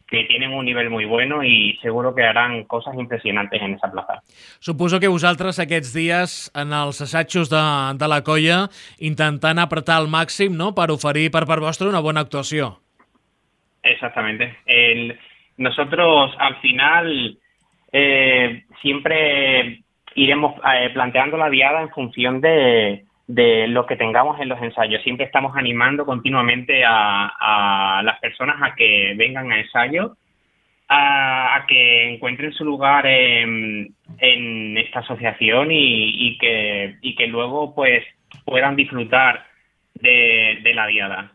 [SPEAKER 18] que tienen un nivell muy bueno i seguro que harán cosas impresionantes en esa plaza.
[SPEAKER 2] Suposo que vosaltres aquests dies en els assajos de la colla intentant apretar al màxim, no?, per oferir per part vostra una bona actuació.
[SPEAKER 18] Exactamente. Nosotros al final siempre iremos planteando la diada en función de lo que tengamos en los ensayos. Siempre estamos animando continuamente a las personas a que vengan a ensayo, a que encuentren su lugar en esta asociación y que luego pues puedan disfrutar de la diada.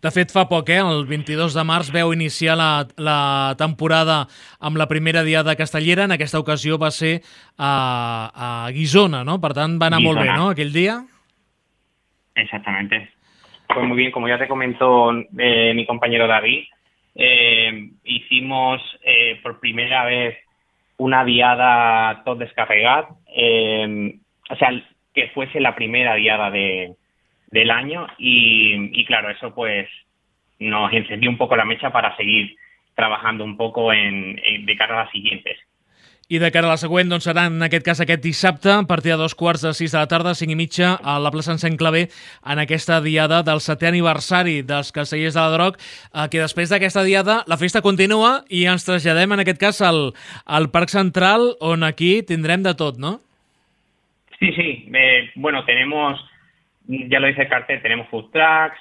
[SPEAKER 2] De fet, fa poc, el 22 de març veu iniciar la temporada amb la primera diada castellera. En aquesta ocasió va ser a Guissona, no? Per tant, va anar molt bé, no?, aquell dia.
[SPEAKER 18] Exactamente. Pues muy bien, como ya te comentó mi compañero David, hicimos por primera vez una diada tot descarregat, o sea, que fuese la primera diada del año y claro, eso pues nos encendió un poco la mecha para seguir trabajando un poco de cara a las siguientes.
[SPEAKER 2] I de cara a la següent, doncs serà en aquest cas aquest dissabte, a partir de 5:15 de la tarda, 5:30, a la plaça Anselm Clavé, en aquesta diada del 7è aniversari dels Castellers de la Droc, que després d'aquesta diada la festa continua i ens traslladem en aquest cas al Parc Central, on aquí tindrem de tot, ¿no?
[SPEAKER 18] Sí. Bueno, tenemos, ya lo dice el cartel, tenemos food trucks,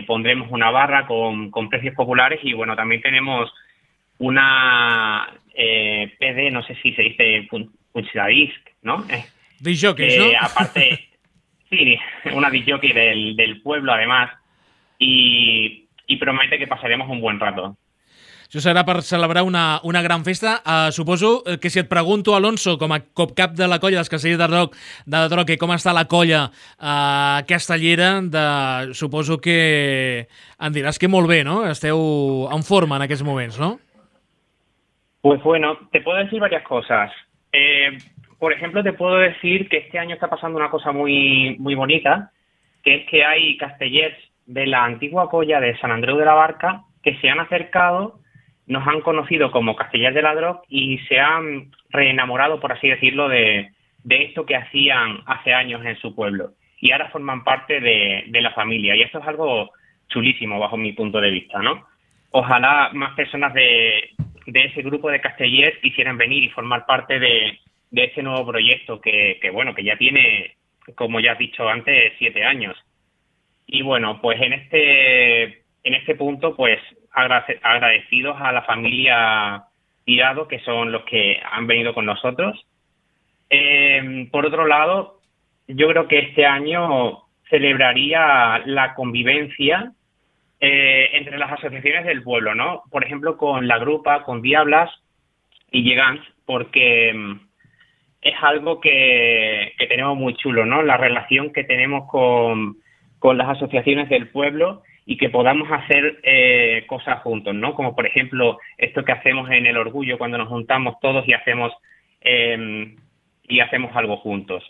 [SPEAKER 18] pondremos una barra con precios populares y bueno, también tenemos una PD, no sé si se dice punchadisc, ¿no?
[SPEAKER 2] Disjockeys, ¿no?
[SPEAKER 18] Aparte, sí, una disjockey del pueblo además y promete que pasaremos un buen rato.
[SPEAKER 2] Això serà per celebrar una gran festa. Suposo que si et pregunto, Alonso, com a cap de la colla dels Castellers de la Droc, com està la colla castellera, suposo que em diràs que molt bé, no? Esteu en forma en aquests moments, no?
[SPEAKER 18] Pues bueno, te puedo decir varias cosas. Por ejemplo, te puedo decir que este año está pasando una cosa muy, muy bonita, que es que hay castellers de la antigua colla de San Andreu de la Barca que se han acercado, nos han conocido como Castellers de la Droc y se han reenamorado, por así decirlo, de esto que hacían hace años en su pueblo. Y ahora forman parte de la familia. Y esto es algo chulísimo bajo mi punto de vista, ¿no? Ojalá más personas de ese grupo de castellers quisieran venir y formar parte de este nuevo proyecto que ya tiene, como ya has dicho antes, 7 años. Y bueno, pues en este punto, pues agradecidos a la familia Tirado, que son los que han venido con nosotros. Por otro lado, yo creo que este año celebraría la convivencia entre las asociaciones del pueblo, ¿no? Por ejemplo, con la Grupa, con Diablas y Llegants, porque es algo que tenemos muy chulo, ¿no? La relación que tenemos con las asociaciones del pueblo y que podamos hacer cosas juntos, ¿no? Como por ejemplo esto que hacemos en el Orgullo cuando nos juntamos todos y hacemos algo juntos.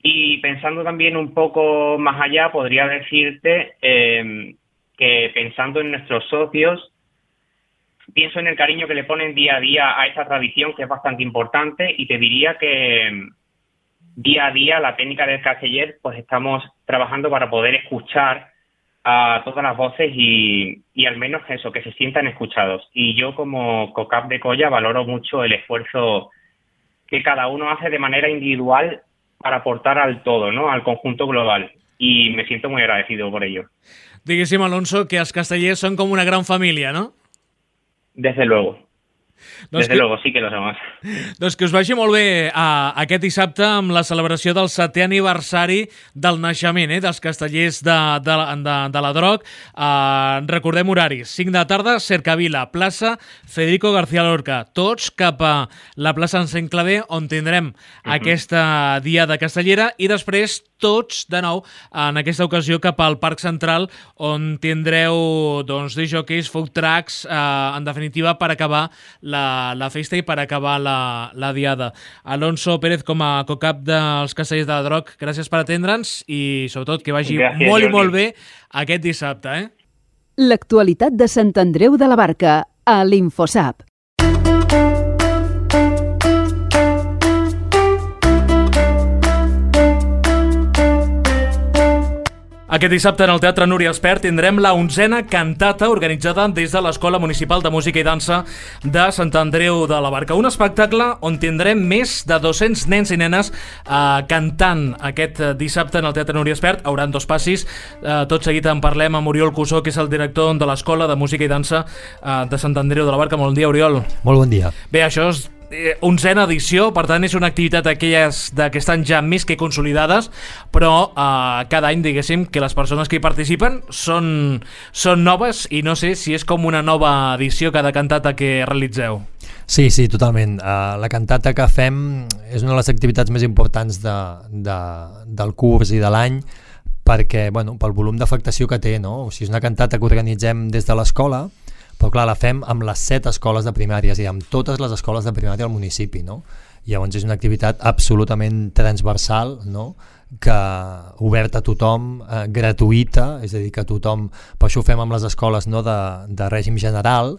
[SPEAKER 18] Y pensando también un poco más allá, podría decirte que pensando en nuestros socios, pienso en el cariño que le ponen día a día a esta tradición, que es bastante importante, y te diría que día a día la técnica del casteller, pues estamos trabajando para poder escuchar a todas las voces y al menos eso, que se sientan escuchados. Y yo como COCAP de Colla valoro mucho el esfuerzo que cada uno hace de manera individual para aportar al todo, ¿no? Al conjunto global. Y me siento muy agradecido por ello.
[SPEAKER 2] Diguéssim, Alonso, que els castellers són com una gran família, no?
[SPEAKER 18] Desde luego. Desde luego, sí que lo somos.
[SPEAKER 2] Doncs que us vagi molt bé aquest dissabte amb la celebració del 7è aniversari del naixement dels castellers de la Droc. Recordem horaris. 5 de la tarda, Cercavila, plaça Federico García Lorca. Tots cap a la plaça Encenc Clavé, on tindrem aquesta diada castellera, i després tots, de nou, en aquesta ocasió cap al Parc Central, on tindreu discjockeys, food trucks, en definitiva, per acabar la festa i per acabar la diada. Alonso Pérez, com a COCAP dels Castellers de la Droc, gràcies per atendre'ns i, sobretot, que vagi molt i molt bé aquest dissabte.
[SPEAKER 1] L'actualitat de Sant Andreu de la Barca, a l'Infosap.
[SPEAKER 2] Aquest dissabte en el Teatre Núria Espert tindrem la 11a cantata organitzada des de l'Escola Municipal de Música i Dansa de Sant Andreu de la Barca. Un espectacle on tindrem més de 200 nens i nenes cantant aquest dissabte en el Teatre Núria Espert. Hauran 2 passis. Tot seguit en parlem amb Oriol Cussó, que és el director de l'Escola de Música i Dansa de Sant Andreu de la Barca. Molt bon dia, Oriol.
[SPEAKER 19] Molt bon dia.
[SPEAKER 2] Bé, això és 11a edició, per tant és una activitat d'aquelles que estan ja més que consolidades, però cada any, diguéssim, que les persones que hi participen són noves, i no sé si és com una nova edició cada cantata que realitzeu.
[SPEAKER 19] Sí, totalment. La cantata que fem és una de les activitats més importants del curs i de l'any, perquè, pel volum d'afectació que té, no? O sigui, és una cantata que organitzem des de l'escola, però clar, la fem amb les 7 escoles de primària, és a dir, amb totes les escoles de primària del municipi, no? Llavors és una activitat absolutament transversal, no? Que oberta a tothom, gratuïta, és a dir, que tothom, per això ho fem amb les escoles, no? de règim general,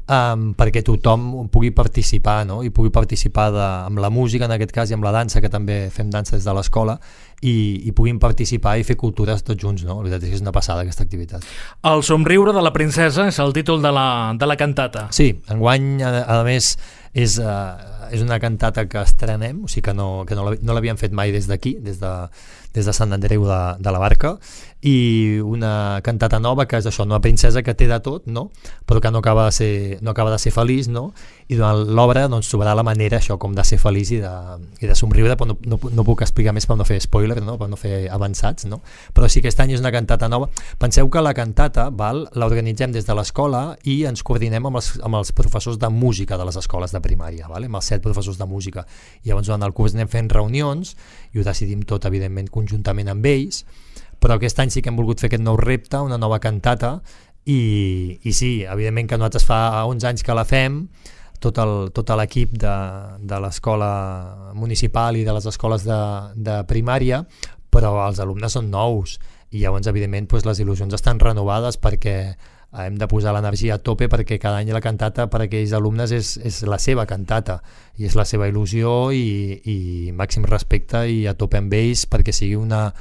[SPEAKER 19] perquè tothom pugui participar, no? I pugui participar amb la música, en aquest cas, i amb la dansa, que també fem dansa des de l'escola, i puguin participar i fer cultures tots junts, no? La veritat és que és una passada aquesta activitat.
[SPEAKER 2] El somriure de la princesa és el títol de la cantata.
[SPEAKER 19] Sí, enguany, a més, és una cantata que estrenem, o sigui que no l'havíem fet mai des d'aquí, des de Sant Andreu de la Barca, i una cantata nova que és això, una princesa que té de tot, no? Però que no acaba de ser feliç, no? I durant l'obra trobarà la manera això, com de ser feliç i de somriure, però no puc explicar més per no fer spoiler, no? Per no fer avançats, no? Però sí que aquest any és una cantata nova. Penseu que la cantata l'organitzem des de l'escola i ens coordinem amb els professors de música de les escoles de primària, amb els 7 professors de música. I llavors durant el curs anem fent reunions i ho decidim tot, evidentment, conjuntament amb ells, però aquest any sí que hem volgut fer aquest nou repte, una nova cantata, i sí, evidentment que nosaltres fa 11 anys que la fem, tot l'equip de l'escola municipal i de les escoles de primària, però els alumnes són nous i llavors evidentment les il·lusions estan renovades perquè hem de posar l'energia a tope perquè cada any la cantata per a aquells alumnes és la seva cantata i és la seva il·lusió i màxim respecte i a tope amb ells perquè sigui una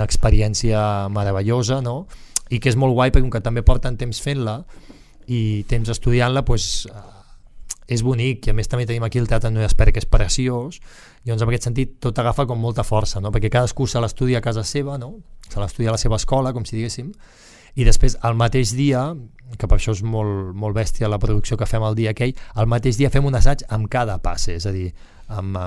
[SPEAKER 19] experiència meravellosa, no? I que és molt guai perquè com que també porten temps fent-la i temps estudiant-la, és bonic, i a més també tenim aquí el Teatre Núria Espert, que és preciós, i doncs en aquest sentit tot agafa com molta força, no? Perquè cadascú se l'estudia a casa seva, no? Se l'estudia a la seva escola, com si diguéssim, i després el mateix dia, que per això és molt bèstia la producció que fem el dia aquell, el mateix dia fem un assaig amb cada passe, és a dir, amb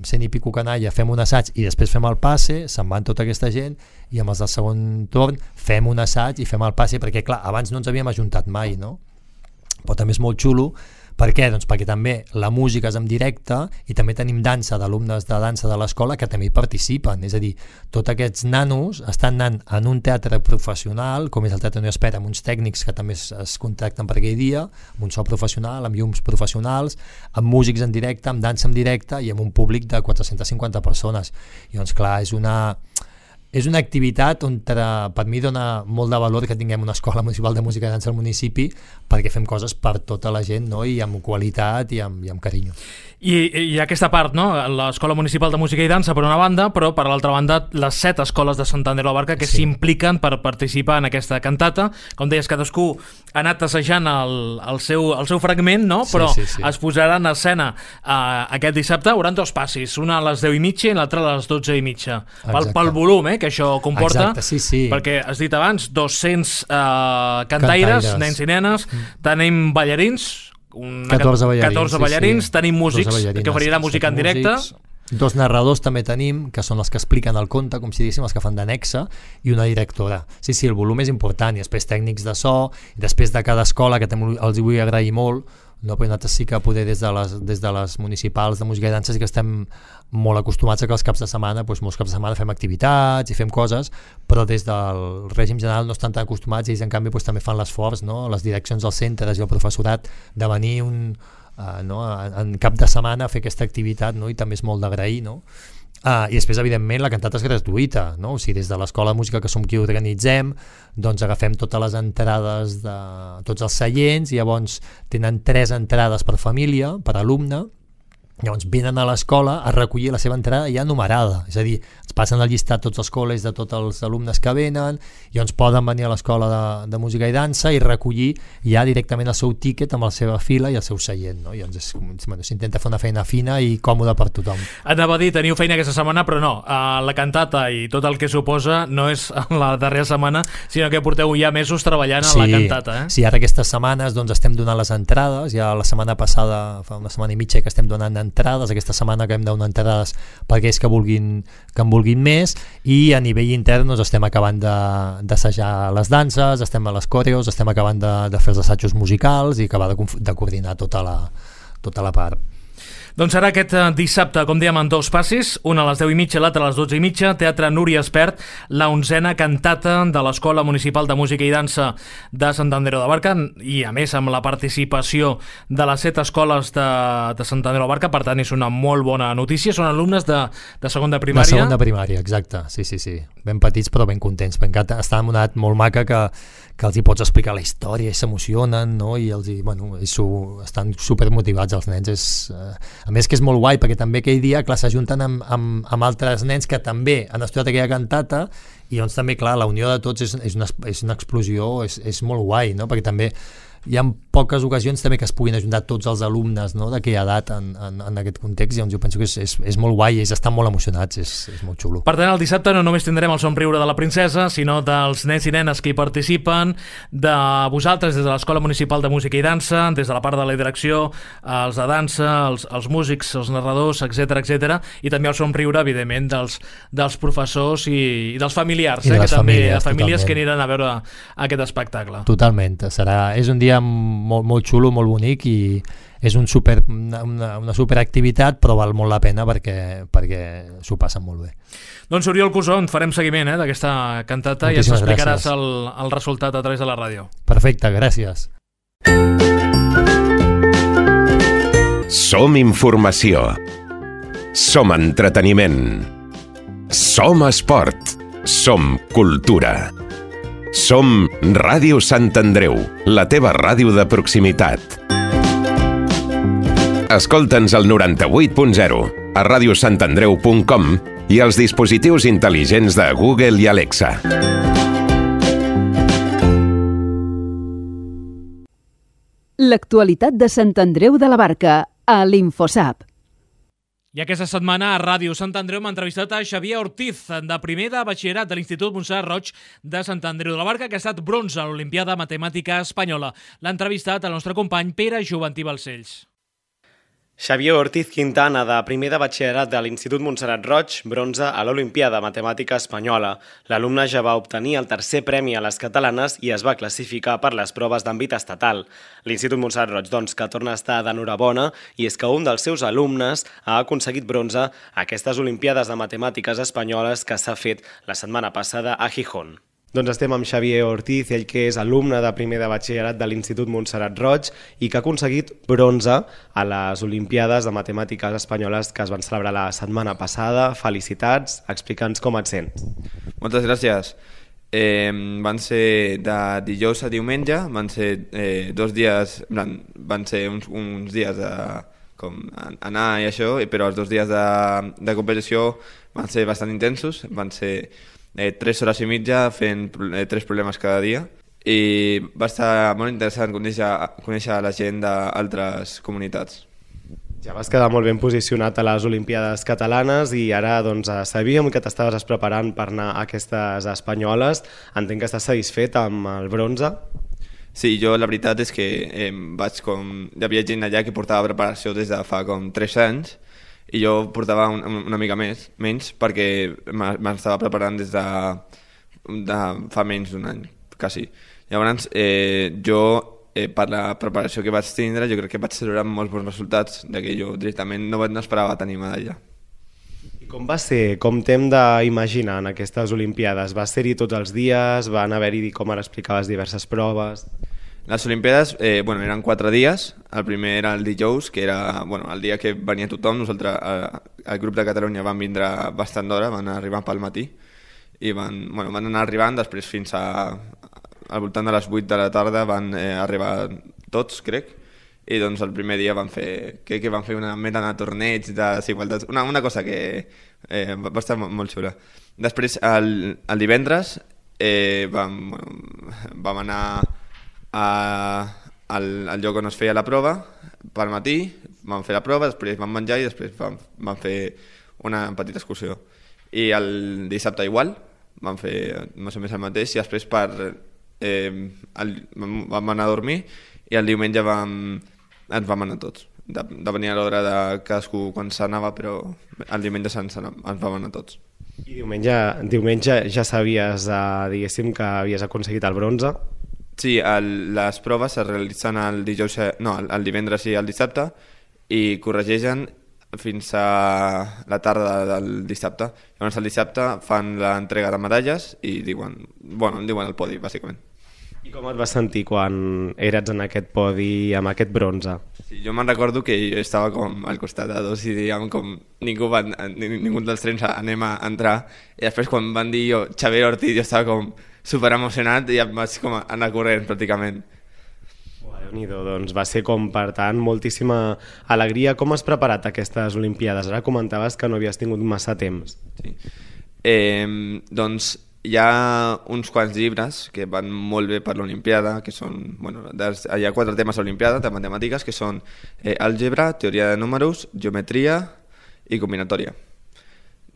[SPEAKER 19] 100 i pico canalla fem un assaig i després fem el passe, se'n van tota aquesta gent i amb els del segon torn fem un assaig i fem el passe, perquè clar, abans no ens havíem ajuntat mai, no? Però també és molt xulo. Per què? Doncs perquè també la música és en directe i també tenim dansa d'alumnes de dansa de l'escola que també hi participen, és a dir, tots aquests nanos estan anant en un teatre professional, com és el Teatre Núria Espert, amb uns tècnics que també es contracten per aquell dia, amb un so professional, amb llums professionals, amb músics en directe, amb dansa en directe i amb un públic de 450 persones. I doncs clar, és una activitat on per mi dona molt de valor que tinguem una escola municipal de música i dansa al municipi perquè fem coses per tota la gent, no? I amb qualitat i amb carinyo.
[SPEAKER 2] I aquesta part, no? L'Escola Municipal de Música i Dansa per una banda, però per l'altra banda les 7 escoles de Sant Andreu de la Barca que s'impliquen per participar en aquesta cantata. Com deies, cadascú ha anat assajant el seu fragment, no? Però es posarà en escena aquest dissabte. Hi haurà 2 passis, una a les 10:30 i l'altra a les 12:30. Pel volum que això comporta.
[SPEAKER 19] Exacte,
[SPEAKER 2] perquè has dit abans 200 cantaires, nens i nenes, tenim ballarins,
[SPEAKER 19] 14
[SPEAKER 2] ballarins, tenim músics que oferirà música en directe,
[SPEAKER 19] 2 narradors també tenim, que són els que expliquen el conte, com si diguéssim, els que fan d'annexa, i una directora. Sí, el volum és important, i després tècnics de so, i després de cada escola, que també els vull agrair molt, no, però nosaltres sí que poder des de les municipals de música i dansa sí que estem molt acostumats a que els caps de setmana, molts caps de setmana fem activitats i fem coses, però des del règim general no estan tan acostumats i ells en canvi també fan l'esforç, no? Les direccions dels centres i el professorat de venir en cap de setmana a fer aquesta activitat, no? I també és molt d'agrair, no? I després evidentment la cantata és gratuïta, no? O sigui, des de l'Escola de Música, que som qui organitzem, doncs agafem totes les entrades de tots els seients i llavors tenen 3 entrades per família, per alumne. Llavors venen a l'escola a recollir la seva entrada ja numerada, és a dir, ens passen el llistat tots els col·legis de tots els alumnes que venen i llavors poden venir a l'escola de música i dansa i recollir ja directament el seu tíquet amb la seva fila i el seu seient, no? I llavors s'intenta fer una feina fina i còmoda per tothom.
[SPEAKER 2] Anava a dir, teniu feina aquesta setmana, però no, la cantata i tot el que suposa no és la darrera setmana, sinó que porteu ja mesos treballant a la cantata,
[SPEAKER 19] Sí, ara aquestes setmanes estem donant les entrades, ja la setmana passada, fa una setmana i mitja que estem donant entrades, aquesta setmana que hem de donar entrades per aquells que en vulguin més, i a nivell intern estem acabant d'assajar les danses, estem a les coreos, estem acabant de fer els assajos musicals i acabar de coordinar tota la part.
[SPEAKER 2] Doncs serà aquest dissabte, com dèiem, en 2 passis, una a les 10:30 i l'altra a les 12:30, Teatre Núria Espert, la 11a cantata de l'Escola Municipal de Música i Dansa de Sant Andreu de la Barca, i a més amb la participació de les 7 escoles de Sant Andreu de la Barca. Per tant és una molt bona notícia. Són alumnes de segon de primària.
[SPEAKER 19] De segon de primària, exacte, sí. Ben petits però ben contents, perquè estan en una edat molt maca que els hi pots explicar la història i s'emocionen, no? I estan supermotivats els nens. A més que és molt guai, perquè també aquell dia s'ajunten amb altres nens que també han estudiat aquella cantata, i doncs també, clar, la unió de tots és una explosió, és molt guai, no? Perquè també hi ha poques ocasions també que es puguin ajuntar tots els alumnes, no?, d'aquella edat en aquest context, i doncs jo penso que és molt guai, ells estan molt emocionats, és molt xulo.
[SPEAKER 2] Per tant, el dissabte no només tindrem el somriure de la princesa, sinó dels nens i nenes que hi participen, de vosaltres des de l'Escola Municipal de Música i Dansa, des de la part de la direcció, els de dansa, els músics, els narradors, etc, i també el somriure, evidentment, dels professors i dels familiars, que també famílies que aniran a veure aquest espectacle.
[SPEAKER 19] Totalment, és un dia molt xulo, molt bonic, i és una superactivitat, però val molt la pena perquè s'ho passen molt bé.
[SPEAKER 2] Doncs Oriol Cusó, farem seguiment d'aquesta cantata. Moltíssimes i ens explicaràs el resultat a través de la ràdio.
[SPEAKER 19] Perfecte, gràcies.
[SPEAKER 9] Som informació. Som entreteniment. Som esport. som cultura. Som Ràdio Sant Andreu, la teva ràdio de proximitat. Escolta'ns al 98.0, a radiosantandreu.com i als dispositius intel·ligents de Google i Alexa.
[SPEAKER 1] L'actualitat de Sant Andreu de la Barca, a l'Infosap.
[SPEAKER 2] I aquesta setmana a Ràdio Sant Andreu m'ha entrevistat a Xavier Ortiz, de primer de batxillerat de l'Institut Montserrat Roig de Sant Andreu de la Barca, que ha estat bronze a l'Olimpiada Matemàtica Espanyola. L'ha entrevistat el nostre company Pere Joventí Balcells.
[SPEAKER 3] Xavier Ortiz Quintana, de primer de batxillerat de l'Institut Montserrat Roig, bronze a l'Olimpiada Matemàtica Espanyola. L'alumne ja va obtenir el tercer premi a les catalanes i es va classificar per les proves d'àmbit estatal. L'Institut Montserrat Roig, doncs, que torna a estar d'enhorabona, i és que un dels seus alumnes ha aconseguit bronze a aquestes Olimpiades de Matemàtiques Espanyoles que s'ha fet la setmana passada a Gijón.
[SPEAKER 7] Doncs estem amb Xavier Ortiz, ell que és alumne de primer de batxillerat de l'Institut Montserrat Roig i que ha aconseguit bronze a les Olimpiades de Matemàtiques Espanyoles que es van celebrar la setmana passada. Felicitats, explica'ns com et sents.
[SPEAKER 20] Moltes gràcies. Van ser de dijous a diumenge, van ser 2 dies, van ser uns dies de com anar i això, però els 2 dies de competició van ser bastant intensos, van ser 3 hores i mitja fent 3 problemes cada dia i va estar molt interessant conèixer la gent d'altres comunitats.
[SPEAKER 7] Ja vas quedar molt ben posicionat a les Olimpiades catalanes i ara doncs, sabíem que t'estaves preparant per anar a aquestes espanyoles. Entenc que estàs satisfet amb el bronze?
[SPEAKER 20] Sí, jo la veritat és que hi havia gent allà que portava preparació des de fa com 3 anys i jo portava una mica menys perquè m'estava preparant des de fa menys d'un any, quasi. Llavors, jo, per la preparació que vaig tindre, jo crec que vaig celebrar molts bons resultats, que jo directament no esperava tenir medalla.
[SPEAKER 7] I com va ser? Com t'hem d'imaginar en aquestes Olimpiades? Va ser-hi tots els dies? Van haver-hi, com ara explicaves, diverses proves?
[SPEAKER 20] Les Olimpiades eren 4 dies. El primer era el dijous, que era el dia que venia tothom. Nosaltres, el grup de Catalunya, van vindre bastant d'hora, van arribar pel matí i van anar arribant, després fins al voltant de les 8 de la tarda van arribar tots, crec, i doncs el primer dia van fer una mena de torneig de desigualtats, una cosa que va estar molt xula. Després, el divendres, vam anar al lloc on es feia la prova pel matí, vam fer la prova, després vam menjar i després vam fer una petita excursió. I el dissabte igual, vam fer més o menys el mateix i després vam anar a dormir i el diumenge ens vam anar tots. Depenia l'hora de cadascú quan s'anava, però el diumenge ens vam anar tots.
[SPEAKER 7] I diumenge ja sabies, diguéssim, que havies aconseguit el bronze?
[SPEAKER 20] Sí, les proves es realitzen el divendres i el dissabte i corregeixen fins a la tarda del dissabte. Llavors el dissabte fan l'entrega de medalles i diuen el podi, bàsicament.
[SPEAKER 7] I com et vas sentir quan eres en aquest podi amb aquest bronze?
[SPEAKER 20] Sí, jo me'n recordo que jo estava com al costat de dos i dèiem com ningú dels trens anem a entrar i després quan van dir Xavier Ortiz jo estava com super emocionat i em vaig com anar corrent pràcticament.
[SPEAKER 7] Déu-n'hi-do, doncs va ser com per tant moltíssima alegria. Com has preparat aquestes Olimpiades? Ara comentaves que no havies tingut massa temps.
[SPEAKER 20] Sí. Doncs hi ha uns quants llibres que van molt bé per l'Olimpiada, que són, hi ha 4 temes a l'Olimpiada de matemàtiques que són àlgebra, teoria de números, geometria i combinatòria.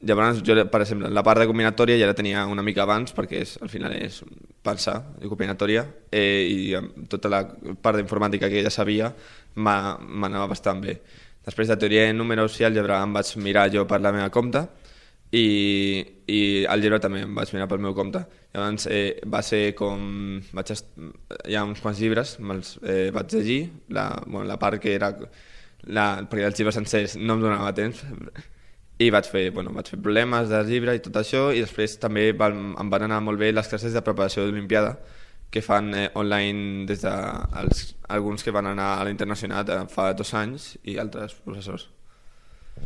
[SPEAKER 20] Llavors, jo, per exemple, la part de combinatòria ja la tenia una mica abans perquè al final és pensar de combinatòria i tota la part d'informàtica que ja sabia m'anava bastant bé. Després de teoria de números i àlgebra em vaig mirar jo per la meva compte i àlgebra també em vaig mirar pel meu compte. Llavors va ser com... Hi ha uns quants llibres, me'ls vaig llegir, la part que era... perquè els llibres sencers no em donava temps i vaig fer problemes del llibre i tot això i després també em van anar molt bé les classes de preparació de l'Olimpiada que fan online des d'alguns que van anar a la internacional fa 2 anys i altres professors.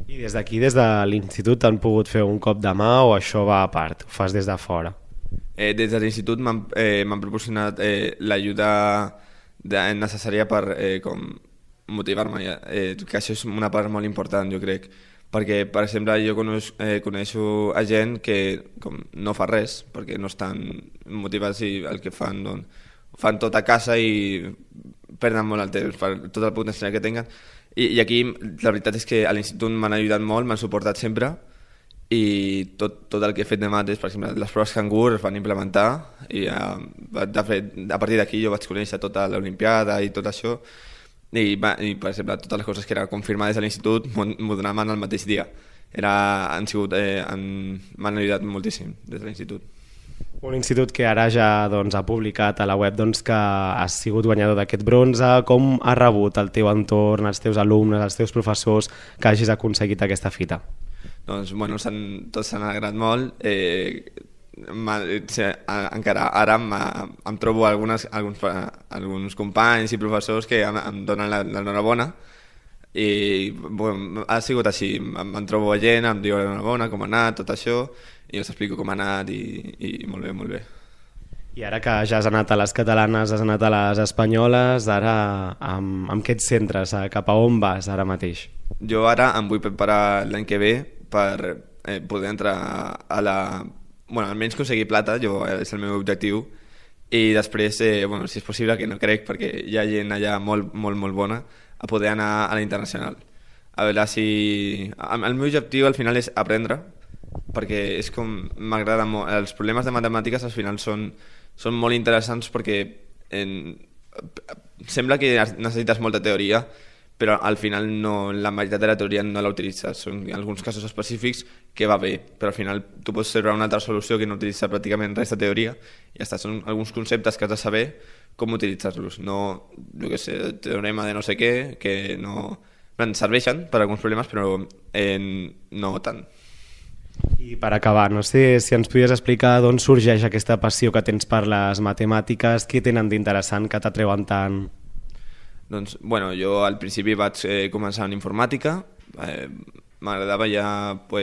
[SPEAKER 7] I des d'aquí, des de l'institut, han pogut fer un cop de mà o això va a part? Ho fas des de fora?
[SPEAKER 20] Des de l'institut m'han proporcionat l'ajuda necessària per motivar-me, que això és una part molt important, jo crec, perquè, per exemple, jo coneixo a gent que no fa res, perquè no estan motivats i el que fan, doncs, fan tot a casa i perden molt el temps per tot el potencial que tenen. I aquí la veritat és que a l'institut m'han ajudat molt, m'han suportat sempre, i tot el que he fet de mates, per exemple, les proves cangur es van implementar i de fet, a partir d'aquí jo vaig conèixer tota l'Olimpiada i tot això i per exemple, totes les coses que eren confirmades a l'institut m'ho donaven el mateix dia. M'han ajudat moltíssim des de l'institut.
[SPEAKER 7] Un institut que ara ja ha publicat a la web que has sigut guanyador d'aquest bronze. Com ha rebut el teu entorn, els teus alumnes, els teus professors que hagis aconseguit aquesta fita?
[SPEAKER 20] Doncs, bueno, tots s'han alegrat molt. Encara ara em trobo alguns companys i professors que em donen l'enhorabona i bueno, ha sigut així. Em trobo gent, em diuen l'enhorabona, com ha anat, tot això, i us explico com ha anat i molt bé, molt bé.
[SPEAKER 7] I ara que ja has anat a les catalanes, has anat a les espanyoles, ara amb què et centres? Cap a on vas ara mateix?
[SPEAKER 20] Jo ara em vull preparar l'any que ve per poder entrar a la... Bueno, almenys aconseguir plata, és el meu objectiu, i després, bueno, si és possible, que no crec, perquè hi ha gent allà molt, molt, molt bona, a poder anar a la internacional. A veure si... El meu objectiu al final és aprendre, perquè és com m'agrada molt. Els problemes de matemàtiques al final són molt interessants perquè sembla que necessites molta teoria, però al final la meitat de la teoria no la utilitzes. Són alguns casos específics que va bé, però al final tu pots trobar una altra solució que no utilitza pràcticament res de teoria i ja està. Són alguns conceptes que has de saber com utilitzar-los. No, jo què sé, teorema de no sé què, que no... serveixen per a alguns problemes, però no tant.
[SPEAKER 7] I per acabar, no sé si ens podries explicar d'on sorgeix aquesta passió que tens per les matemàtiques, què tenen d'interessant que t'atreuen tant?
[SPEAKER 20] Doncs, bueno, jo al principi vaig començar en informàtica, m'agradava ja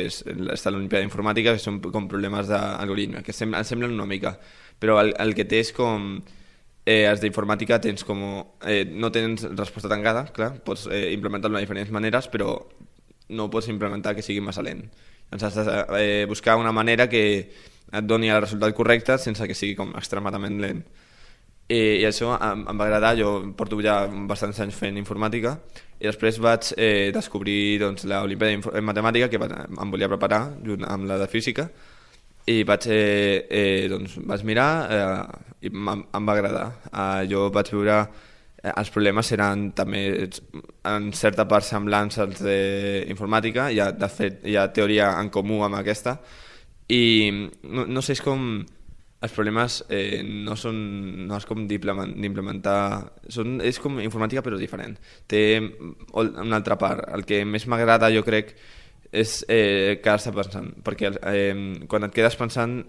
[SPEAKER 20] estar a l'Olimpiada d'Informàtica, que són com problemes d'algoritme, que em semblen una mica, però el que té és com... els d'informàtica tens com... no tens resposta tancada, clar, pots implementar-lo de diferents maneres, però no pots implementar que sigui massa lent. Doncs has de buscar una manera que et doni el resultat correcte sense que sigui com extremadament lent. I això em va agradar. Jo porto ja bastants anys fent informàtica i després vaig descobrir l'Olimpiada de Matemàtica, que em volia preparar junt amb la de Física, i vaig mirar i em va agradar. Jo vaig veure els problemes eren també en certa part semblants als d'informàtica, de fet hi ha teoria en comú amb aquesta, i no sé, és com els problemes no és com d'implementar, és com informàtica però diferent, té una altra part. El que més m'agrada, jo crec, és quedar-se pensant, perquè quan et quedes pensant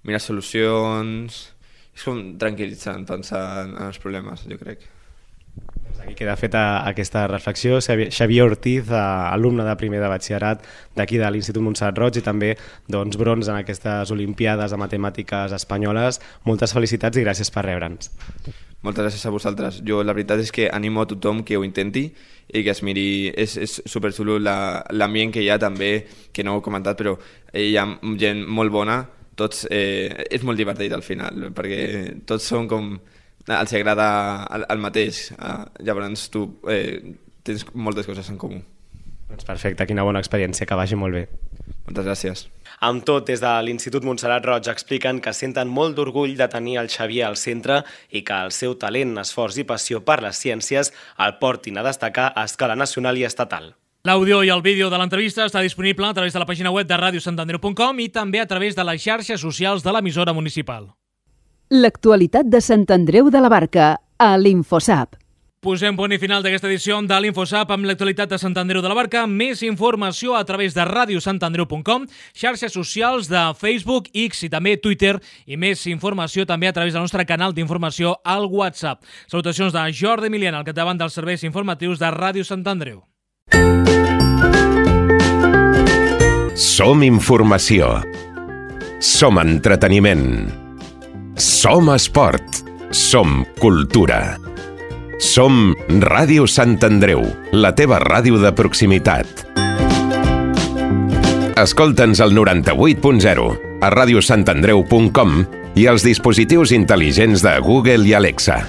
[SPEAKER 20] mires solucions, és com tranquil·litzant pensar en els problemes, jo crec.
[SPEAKER 7] Aquí queda feta aquesta reflexió. Xavier Ortiz, alumne de primer de batxillerat d'aquí de l'Institut Montserrat Roig i també bronze en aquestes Olimpiades de Matemàtiques espanyoles. Moltes felicitats i gràcies per rebre'ns.
[SPEAKER 20] Moltes gràcies a vosaltres. Jo la veritat és que animo a tothom que ho intenti i que es miri. És superxulo l'ambient que hi ha també, que no ho he comentat, però hi ha gent molt bona. Tots, és molt divertit al final, perquè tots són com... els agrada el mateix, llavors tu tens moltes coses en comú.
[SPEAKER 7] Doncs perfecte, quina bona experiència, que vagi molt bé.
[SPEAKER 20] Moltes gràcies.
[SPEAKER 3] Amb tot, des de l'Institut Montserrat Roig expliquen que senten molt d'orgull de tenir el Xavier al centre i que el seu talent, esforç i passió per les ciències el portin a destacar a escala nacional i estatal.
[SPEAKER 2] L'àudio i el vídeo de l'entrevista està disponible a través de la pàgina web de radiosantandreu.com i també a través de les xarxes socials de l'emissora municipal.
[SPEAKER 1] L'actualitat de Sant Andreu de la Barca, a l'Infosap.
[SPEAKER 2] Posem punt i final d'aquesta edició de l'Infosap amb l'actualitat de Sant Andreu de la Barca. Més informació a través de radiosantandreu.com, xarxes socials de Facebook, X i també Twitter, i més informació també a través del nostre canal d'informació al WhatsApp. Salutacions de Jordi Emiliana, al capdavant dels serveis informatius de Ràdio Sant Andreu.
[SPEAKER 9] Som informació. Som entreteniment. Som esport. Som cultura. Som Ràdio Sant Andreu, la teva ràdio de proximitat. Escolta'ns al 98.0, a radiosantandreu.com i als dispositius intel·ligents de Google i Alexa.